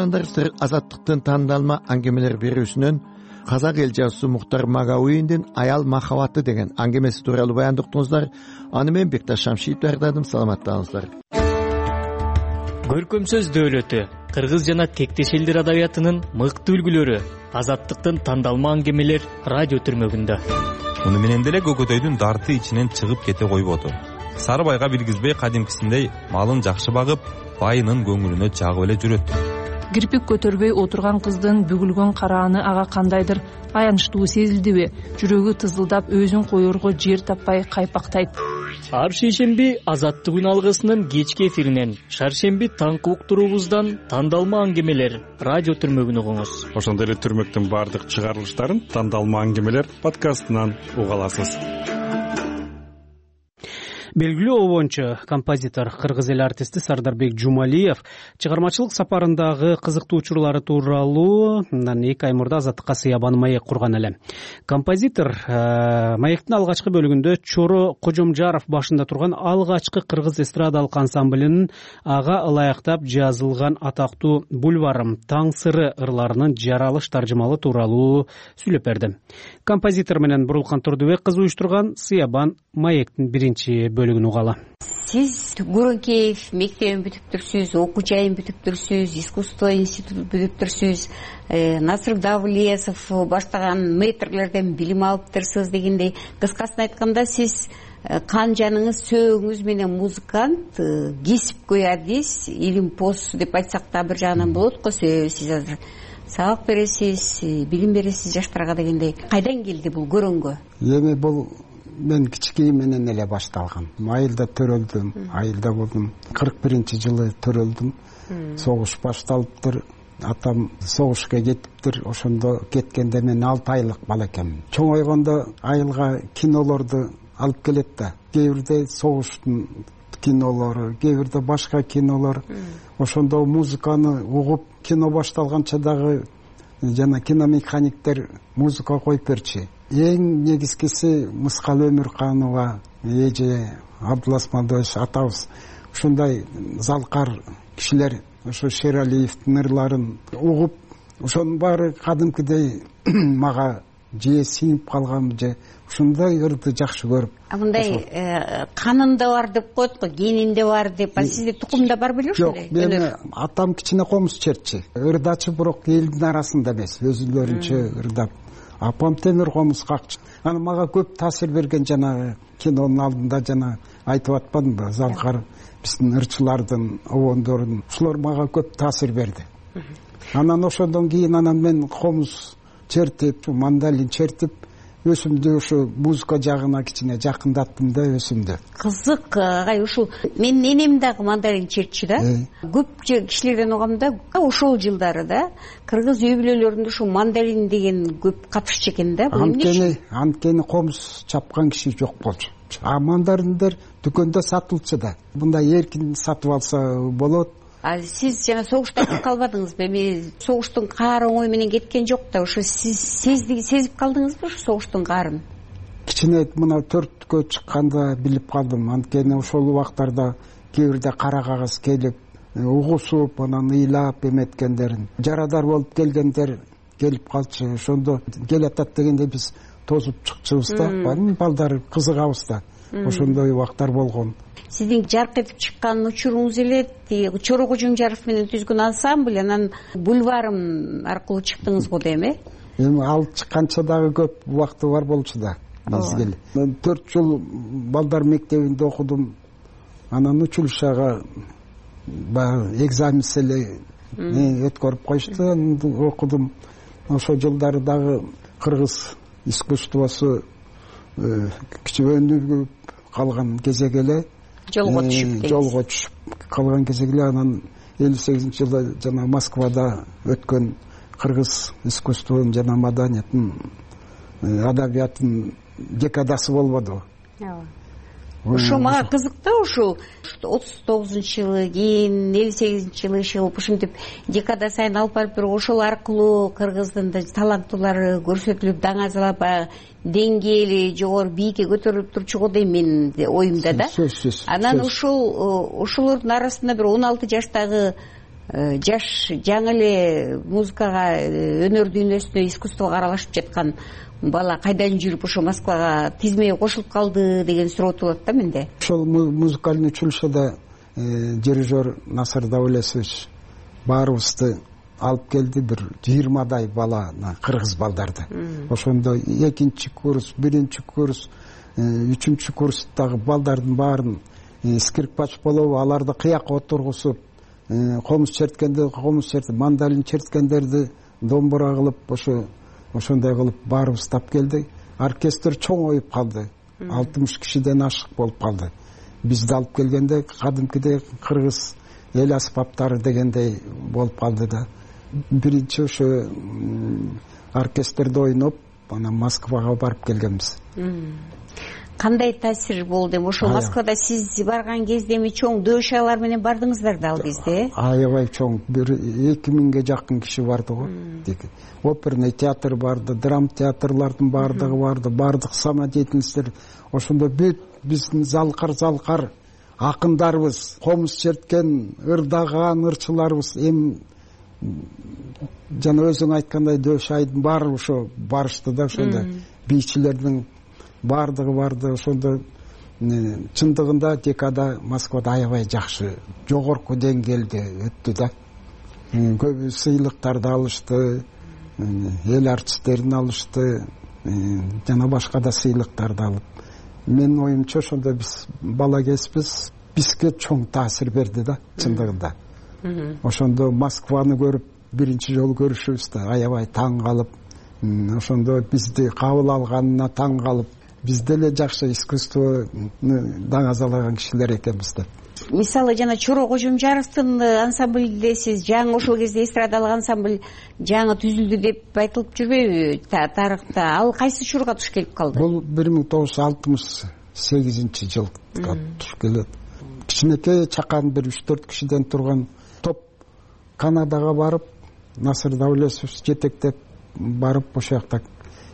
Сыр азаттыктын тандалма аңгемелер берүүсүнөн казак эл жазуусу Муктар Магауийдин Аял махабаты деген аңгемеси тууралуу баяндыктыңыздар. Аны мен Бекташ Шамшиев даярдадым. Саламаттаңыздар. Көркөм сөз дөөлөтү, кыргыз жана тектеш элдер адабиятынын мыкты үлгүлөрү, азаттыктын тандалма аңгемелер радио түрмөгүндө. Муну менен деле Көкөтөйдүн дарты ичинен чыгып кете койбоду. Сарыбайга билгизбей кадимкисиндей малын жакшы багып, байынын көңүлүнө жагып эле жүрөт. Кирпик көтөрбөй отурган кыздын бүгүлгөн карааны ага кандайдыр аянычтуу сезилдиби? Жүрөгү тызылдап, өзүн коерго жер таппай кайпактайт. Ар шейшемби Азаттык алгысынын кечки эфиринен, шаршемби таңкы уктуруубуздан тандалма аңгемелер радио түрмөгүн угуңуз. Ошондой эле түрмөктүн баардык чыгарылыштарын тандалма аңгемелер подкастынан уга аласыз. белгилүү обончу композитор кыргыз эл артисти Сардарбек Жумалиев чыгармачылык сапарындагы кызыктуу учурлары тууралуу мындан эки ай мурда Азаттыкка сыябан маек курган эле. Композитор маектин алгачкы бөлүгүндө Чоро Кожомжаров башында турган алгачкы кыргыз эстрадалык ансамблинин ага ылайыктап жазылган атактуу бульварым таң сыры ырларынын жаралыш таржымалы тууралуу сүйлөп берди. Композитор менен Бурулкан Турдубек кызы уюштурган сыябан маектин биринчи бөлүгүн угалы. Сиз Гурункеев мектебин бүтүптүрсүз, окуу жайын бүтүптүрсүз, искусство институтун бүтүптүрсүз, Насыр Давлесов баштаган мэтрлерден билим алыптырсыз дегендей. Кыскасын айтканда, сиз кан жаныңыз, сөөгүңүз менен музыкант, кесипкөй артист, илимпоз деп айтсак да бир жагынан болот го. Сиз азыр сабак бересиз, билим бересиз жаштарга дегендей. Кайдан келди бул көрөнгө? Эми бул мен кичикей менен эле башталган. Айылда төрөлдүм, айылда болдум. кырк биринчи жылы төрөлдүм. Согуш башталыптыр. Атам согушка кетиптир. Ошондо кеткенде мен алты айлык бала экенмин. Чоңойгондо айылга кинолорду алып келет да. Кээ бирде согуштун кинолору, кээ бирде башка кинолор. Ошондо музыканы угуп, кино башталганча дагы жана киномеханиктер музыка коюп берчи. Эң негизгиси Мыскал Өмүрканова, эже Абдулас Мадоевич атабыз ушундай залкар кишилер, ошо Шералиевдин ырларын угуп, ошонун баары кадимкидей мага же сиңип калган, же ушундай ырды жакшы көрүп. А мындай канында бар деп коет го, генинде бар деп. А сизде тукумда бар беле ушундай? Жок, мени атам кичине комуз чертчи. Ырдачы, бирок элдин арасында эмес, өзүлөрүнчө ырдап. Апам темир комуз какчы. Аны мага көп таасир берген жанагы кинонун алдында жана айтып атпадымбы, залкар биздин ырчылардын, обондордун, ушулар мага көп таасир берди. Анан ошондон кийин анан мен комуз чертип, мандалин чертип, өзүмдү ушу музыка жагына кичине жакындаттым да өзүмдү. Кызык, агай, ушул менин энем дагы мандалин чертчи да. Көп кишилерден угам да, ошол жылдары да кыргыз үй бүлөлөрүндө ушу мандалин деген көп катышчу экен да. Анткени, анткени комуз чапкан киши жок болчу. А мандалиндер дүкөндө сатылчу да. Мындай эркин сатып алса болот. А сиз жана согушта калбадыңызбы? Эми согуштун каары оңой менен кеткен жок да, ошо сиз сезип калдыңызбы ушу согуштун каарын? Кичине мына төрткө чыкканда билип калдым. Анткени ошол убактарда кээ бирде кара кагаз келип, угусуп, анан ыйлап эметкендерин, жарадар болуп келгендер келип калчу. Ошондо келатат дегенде биз тозуп чыкчубуз да, балдар кызыгабыз да. Ошондой убактар болгон. Сиздин жарк этип чыккан учуруңуз эле Чоро Кожомжаров менен түзгөн ансамбль, анан бульварым аркылуу чыктыңыз го дейм, э? Эми ал чыкканча дагы көп убакты бар болчу да. Мезгил. Мен төрт жыл балдар мектебинде окудум. Анан училищага баягы экзаменс эле өткөрүп коюшту, окудум. Ошол жылдары дагы кыргыз искусствосу кичөөнүп калган кезег эле. Жолго түшүп, жолго түшүп калган кезег эле. Анан элүү сегизинчи жылы жана Москвада өткөн кыргыз искусствонун жана маданияттын, адабияттын декадасы болбоду. Ошо мага кызык да, ушул отуз тогузунчу жылы, кийин элүү сегизинчи жылы иши ушинтип декада сайын алып барып, бирок ошол аркылуу кыргыздын таланттуулары көрсөтүлүп, даңазалап, деңгээли жогору бийикке көтөрүлүп турчу го дейм менин оюмда да. Анан ушул ушулордун арасында бир он алты жаштагы жаш, жаңы эле музыкага, өнөр дүйнөсүнө, искусствого аралашып жаткан бала кайдан жүрүп ошо Москвага тизмеге кошулуп калды деген суроо туулат да менде. Ошол музыкальный училищеда дирижер Насыр Давлесович баарыбызды алып келди, бир жыйырмадай баланы, кыргыз балдарды. Ошондо экинчи курс, биринчи курс, үчүнчү курстагы балдардын баарын скрипкач болобу, аларды кыякка отургузуп, комуз черткенде комуз чертип, мандалин черткендерди домбура кылып, ошо ошондой кылып баарыбыз тап келди. Оркестр чоңоюп калды. алтымыш кишиден ашык болуп калды. Бизди алып келгенде кадимкидей кыргыз эл аспаптары дегендей болуп калды да. Биринчи ошо оркестрде ойноп, анан Москвага барып келгенбиз. кандай таасир болду эми ошол Москвада сиз барган кезде эми чоң дөшалар менен бардыңыздар да ал кезде? Аябай чоң, бир эки миңге жакын киши барды го. Оперный театр барды, драм театрлардын бардыгы барды, бардык самодеятельностьтер. Ошондо бүт биздин залкар залкар акындарыбыз, комуз черткен, ырдаган ырчыларыбыз, эми жана өзүң айткандай дөш айдын баары ошо барышты да, ошондо бийчилердин бардыгы барды. Ошондо чындыгында декада Москвада аябай жакшы, жогорку деңгээлде өттү да. Көп сыйлыктарды алышты, эл артисттерин алышты, жана башка да сыйлыктарды алып. Менин оюмча ошондо биз бала кезбиз, бизге чоң таасир берди да, чындыгында. Ошондо Москваны көрүп, биринчи жолу көрүшүбүздө аябай таң калып, ошондо бизди кабыл алганына таң калып, биз деле жакшы искусствону даңазалаган кишилер экенбиз деп. Мисалы жана Чоро Кожомжаровдун ансамблинде сиз жаңы ошол кезде эстрадалык ансамбль жаңы түзүлдү деп айтылып жүрбөйбү тарыхта? Ал кайсы учурга туш келип калды? Бул бир миң тогуз жүз алтымыш сегизинчи жылга туш келет. Кичинекей чакан бир үч төрт кишиден турган топ Канадага барып, Насыр Даулесов жетектеп барып, ошол жакта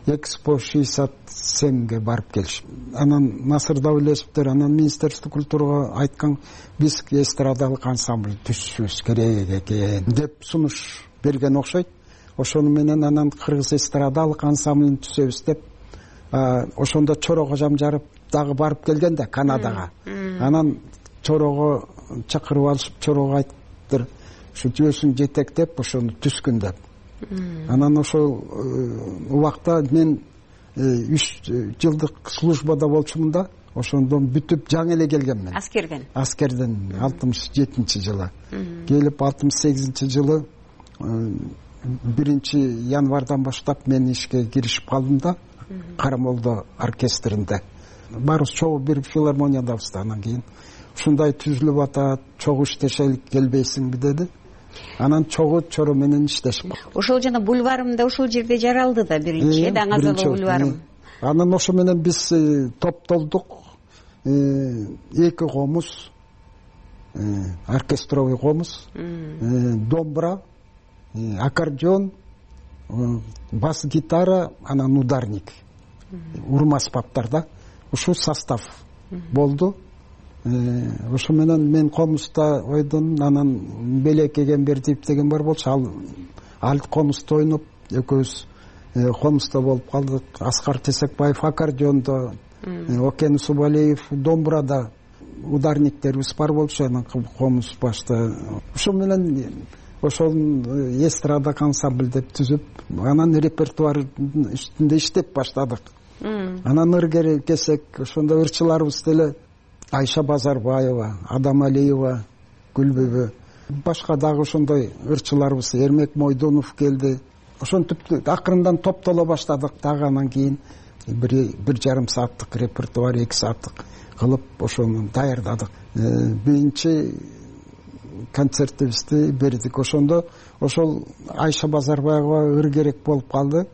Экспо шестьдесят семьге барып келишип. Анан Насыр Даулесовдер анан Министерство культурага айткан, биз эстрадалык ансамбль түзүшүбүз керек экен деп сунуш берген окшойт. Ошону менен анан кыргыз эстрадалык ансамблин түзөбүз деп, ошондо Чоро Кожомжаров дагы барып келген да Канадага. Анан Чорого чакырып алышып, Чорого айттыр, ушу жөөсүн жетектеп ошону түзгүн деп. Анан ошол убакта мен үч жылдык службада болчумун да, ошондон бүтүп жаңы эле келгенмин. Аскерден. Аскерден алтымыш жетинчи жылы. Келип алтымыш сегизинчи жылы биринчи январдан баштап мен ишке киришип калдым да, Карамолдо оркестринде. Барыбыз чогуу бир филармониядабыз да. Анан кийин ушундай түзүлүп атат, чогуу иштешелик келбейсиңби деди. Анан чогуу Чоро менен иштешип. Ошол жана бульварымда ошол жерде жаралды да биринчи Даңазалы бульварым. Анан ошо менен биз топтолдук, эки комуз, оркестровый комуз, домбра, аккордеон, бас гитара, анан ударник, урмаспаптар да. Ушул состав болду. Ошо менен мен комузда ойдум, анан Белек Эгембердиев деген бар болчу, ал ал комузда ойноп, экөөбүз комузда болуп калдык. Аскар Тесекбаев аккордеондо, Окен Субалиев домбурада, ударниктерибиз бар болчу, анан комуз башта. Ошо менен ошол эстрадалык ансамбль деп түзүп, анан репертуар үстүндө иштеп баштадык. Анан ыр кесек, ошондо ырчыларыбыз деле Айша Базарбаева, Адам Алиева, Гүлбүбү, башка дагы ошондой ырчыларыбыз, Эрмек Мойдонов келди. Ошентип акырындан топтоло баштадык. Дагы анан кийин бир бир жарым сааттык репертуар, эки сааттык кылып ошону даярдадык. Биринчи концертибизди бердик. Ошондо ошол Айша Базарбаева ыр керек болуп калды.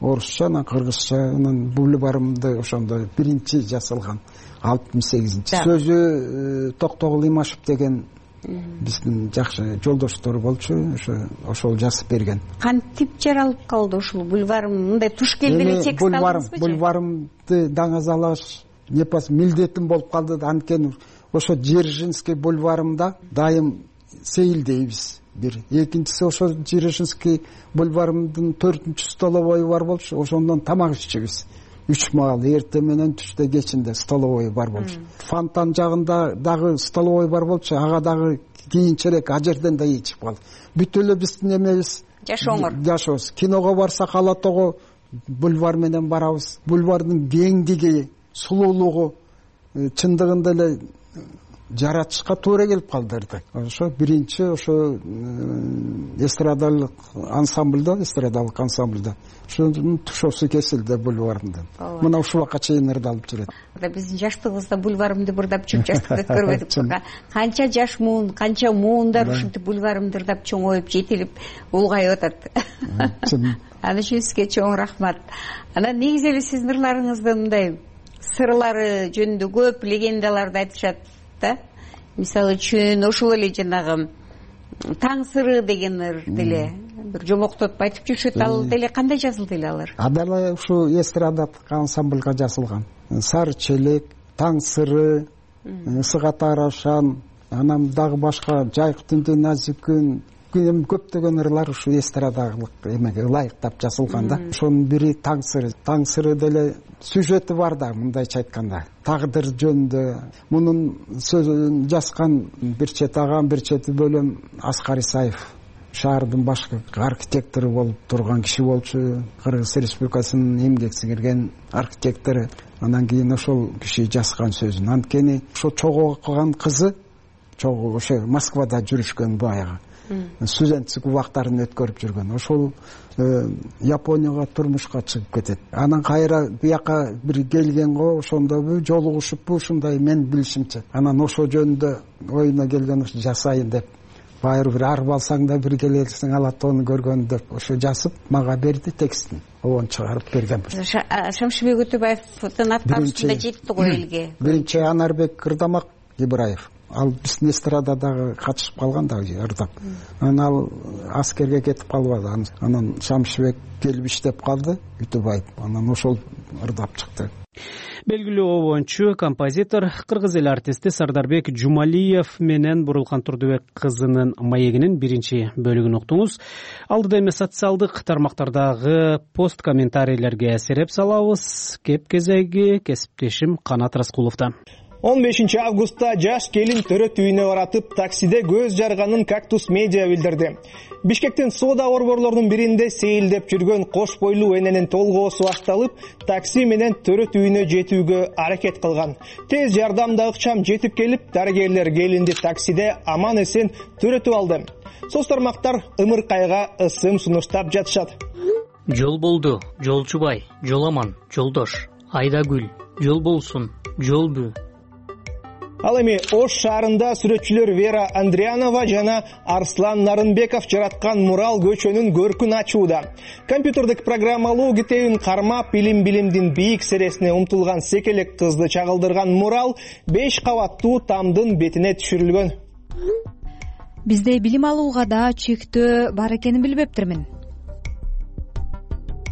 Орусча, анан кыргызча, анан бульварымды ошондо биринчи жасалган алтымыш сегизинчи. Сөзү Токтогул Имашев деген биздин жакшы жолдоштор болчу, ошо ошол жазып берген. Кантип жаралып калды ушул бульварым? Мындай туш келди эле текст алдыңызбы? Бульварымды даңазалаш непас милдетим болуп калды. Анткени ошо Дзержинский бульварымда дайым сейилдейбиз. Бир экинчиси ошо Дзержинский бульварымдын төртүнчү столовой бар болчу, ошондон тамак иччүбүз. Үч маал, эртең менен, түштө, кечинде столовой бар болчу. Фонтан жагында дагы столовой бар болчу, ага дагы кийинчерээк а жерден да ичип калды. Бүт эле биздин эмебиз жашооңор. Жашообуз. Киного барсак Ала Тоого бульвар менен барабыз. Бульвардын кеңдиги, сулуулугу чындыгында эле жаратышка туура келип калды. Ошо биринчи ошо эстрадалык ансамбльда, эстрадалык ансамбльда ошонун тушоосу кесилди бульварымдан. Мына ушул убакка чейин ырдалып жүрөт. Биздин жаштыгыбызда бульварымды бурдап жүрүп жаштыкты көрбөдүк. Канча жаш муун, канча муундар ушинтип бульварымды ырдап чоңоюп, жетилип, улгайып атат. Аны үчүн сизге чоң рахмат. Анан негизи эле сиздин ырларыңызды мындай сырлары жөнүндө көп легендаларды айтышат да. Мисалы үчүн ошол эле жанагы таң сыры деген ыр деле бир жомоктотуп айтып жүрүшөт. Ал деле кандай жазылды эле алар? Адала ушу эстрадалык ансамблга жазылган. Сары челек, таң сыры, ысыга тарошан, анан дагы башка жайкы түндө назик күн, көптөгөн ырлар ушу эстрадалык эмеге ылайыктап жазылган да. Ошонун бири таң сыры. Таң сыры деле сюжети бар да, мындайча айтканда. Тагдыр жөнүндө. Мунун сөзүн жазган бир чети агам, бир чети бөлөм Аскар Исаев. Шаардын башкы архитектору болуп турган киши болчу. Кыргыз Республикасынын эмгек сиңирген архитектору. Андан кийин ошол киши жазган сөзүн. Анткени ошо чогуу окуган кызы, чогуу ошо Москвада жүрүшкөн баягы. Студенттик убактарын өткөрүп жүргөн. Ошол Японияга турмушка чыгып кетет. Анан кайра бияка бир келген го, ошондобу жолугушуппу ушундай мен билишимче. Анан ошо жөнүндө оюна келген ошо жасайын деп. Байыр бир арып алсаң да бир келесиң алат ону көргөн деп ошо жазып мага берди текстин. Обон чыгарып берген. Шамшыбек Өтөбаевдин аткарышында жетти го элге. Биринчи Анарбек Кырдамак Ибраев. Ал биздин эстрададагы катышып калган да ырдап. Анан ал аскерге кетип калбады. Анан Шамшыбек келип иштеп калды, Үтөбаев. Анан ошол ырдап чыкты. Белгилүү обончу, композитор, кыргыз эл артисти Сардарбек Жумалиев менен Бурулкан Турдубек кызынын маегинин биринчи бөлүгүн уктуңуз. Алдыда эми социалдык тармактардагы пост комментарийлерге сереп салабыз. Кеп кезеги кесиптешим Канат Раскуловдо. он бешинчи августта жаш келин төрөт үйүнө баратып таксиде көз жарганын Кактус медиа билдирди. Бишкектин соода борборлорунун биринде сейилдеп жүргөн кош бойлуу эненин толгоосу ашталып, такси менен төрөт үйүнө жетүүгө аракет кылган. Тез жардамда ыкчам жетип келип, дарыгерлер келинди таксиде аман эсен төрөтүп алды. Соц тармактар ымыркайга ысым сунуштап жатышат. Жол болду, жолчубай, жол аман, жолдош, Айдагүл, жол болсун, жолбу. Ал эми Ош шаарында сүрөтчүлөр Вера Андрианова жана Арслан Нарынбеков жараткан мурал көчөнүн көркүн ачууда. Компьютердик программалуу китебин кармап, илим-билимдин бийик сересине умтулган секелек кызды чагылдырган мурал беш кабаттуу тамдын бетине түшүрүлгөн. Бизде билим алууга да чектөө бар экенин билбептирмин.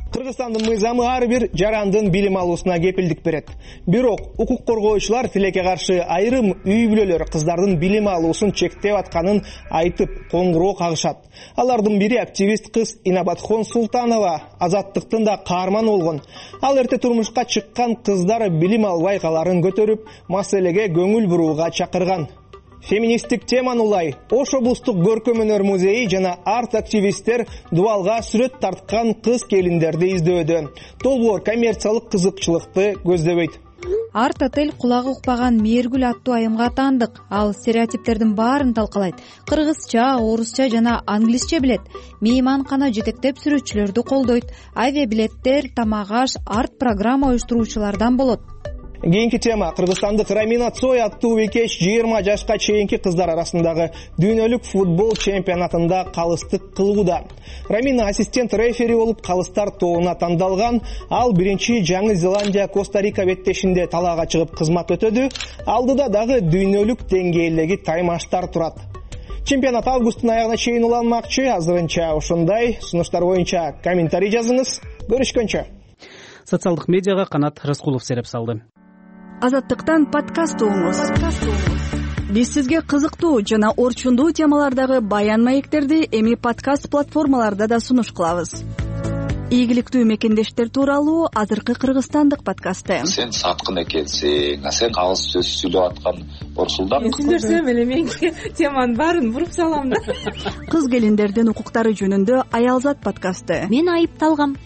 Кыргызстандын мыйзамы ар бир жарандын билим алуусуна кепилдик берет. Бирок укук коргоочулар тилекке каршы айрым үй бүлөлөр кыздардын билим алуусун чектеп атканын айтып коңгуроо кагышат. Алардын бири активист кыз Инабатхон Султанова Азаттыктын да каарманы болгон. Ал эрте турмушка чыккан кыздар билим албай каларын көтөрүп, маселеге көңүл бурууга чакырган. Феминисттик теманы улай Ош облустук көркөм өнөр музейи жана арт активисттер дубалга сүрөт тарткан кыз келиндерди издөөдө. Долбоор коммерциялык кызыкчылыкты көздөбөйт. Арт отель кулагы укпаган Мээргүл аттуу айымга таандык. Ал стереотиптердин баарын талкалайт. Кыргызча, орусча жана англисче билет. Мейманкана жетектеп сүрөтчүлөрдү колдойт. Авиабилеттер, тамак аш, арт программа уюштуруучулардан болот. Кийинки тема кыргызстандык Рамина Цой аттуу бекеш жыйырма жашка чейинки кыздар арасындагы дүйнөлүк футбол чемпионатында калыстык кылууда. Рамина ассистент рефери болуп калыстар тобуна тандалган. Ал биринчи Жаңы Зеландия Коста-Рика беттешинде талаага чыгып кызмат өтөдү. Алдыда дагы дүйнөлүк деңгээлдеги таймаштар турат. Чемпионат августтун аягына чейин уланмакчы. Азырынча ошондой. Сунуштар боюнча комментарий жазыңыз. Көрүшкөнчө. Социалдык медиага Канат Раскулов сереп салды. Азаттыктан подкаст угуңуз. Биз сизге кызыктуу жана орчундуу темалардагы баян маектерди эми подкаст платформаларда да сунуш кылабыз. Ийгиликтүү мекендештер тууралуу азыркы кыргызстандык подкасты. Сен саткын экенсиң, а сен кагыз сөз сүйлөп аткан Орсулдан. Сүйлөсөм эле мен теманын баарын буруп салам да. Кыз келиндердин укуктары жөнүндө Аялзат подкасты. Мен айыпталгам.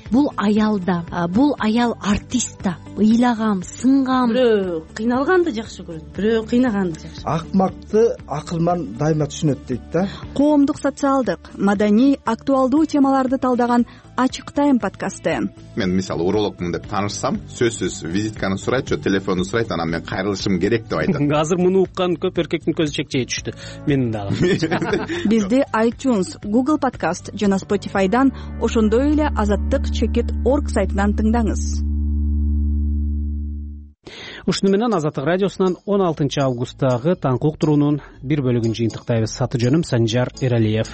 Бул аялда, бул аял артист да. Ыйлагам, сынгам. Бирөө кыйналганды жакшы көрөт, бирөө кыйнаганды жакшы. Акмакты акылман дайыма түшүнөт дейт да. Коомдук, социалдык, маданий, актуалдуу темаларды талдаган Ачык тайм подкасты. Мен мисалы урологмун деп таанышсам, сөзсүз визитканы сурайт, же телефонду сурайт, анан мен кайрылышым керек деп айтат. Азыр муну уккан көп эркектин көзү чекчейе түштү. Менин дагы. Бизди iTunes, Google Podcast жана Spotify'дан, ошондой эле азаттык чекит точка орг сайтынан тыңдаңыз. ушуну менен Азаттык радиосунан он алтынчы августтагы таңкы уктуруунун бир бөлүгүн жыйынтыктайбыз. Аты жөнүм Санжар Эралиев.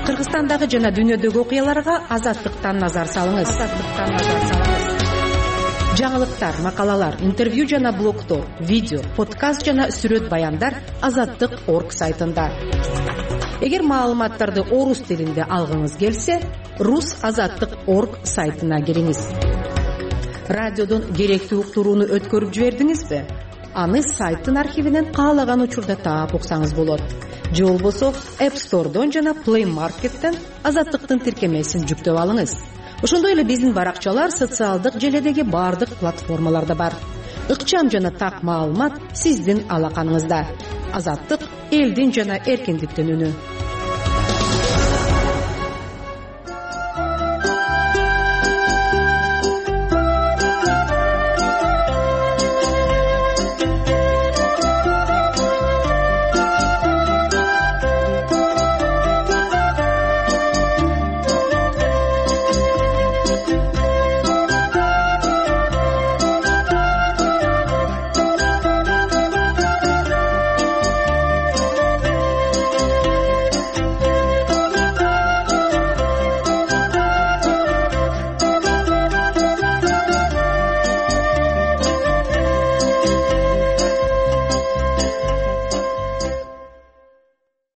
Кыргызстандагы жана дүйнөдөгү окуяларга Азаттыктан назар салыңыз. Азаттыктан назар салыңыз. Жаңылыктар, макалалар, интервью жана блогдор, видео, подкаст жана сүрөт баяндар азаттык точка орг сайтында. Эгер маалыматтарды орус тилинде алгыңыз келсе, рус азаттык точка орг сайтына кириңиз. Радиодон керектүү уктурууну өткөрүп жибердиңизби? Аны сайттын архивинен каалаган учурда таап уксаңыз болот. Же болбосо App Store'дон жана Play Market'тен Азаттыктын тиркемесин жүктөп алыңыз. Ошондой эле биздин баракчалар социалдык желедеги бардык платформаларда бар. Ыкчам жана так маалымат сиздин алаканыңызда. Азаттык — элдин жана эркиндиктин үнү.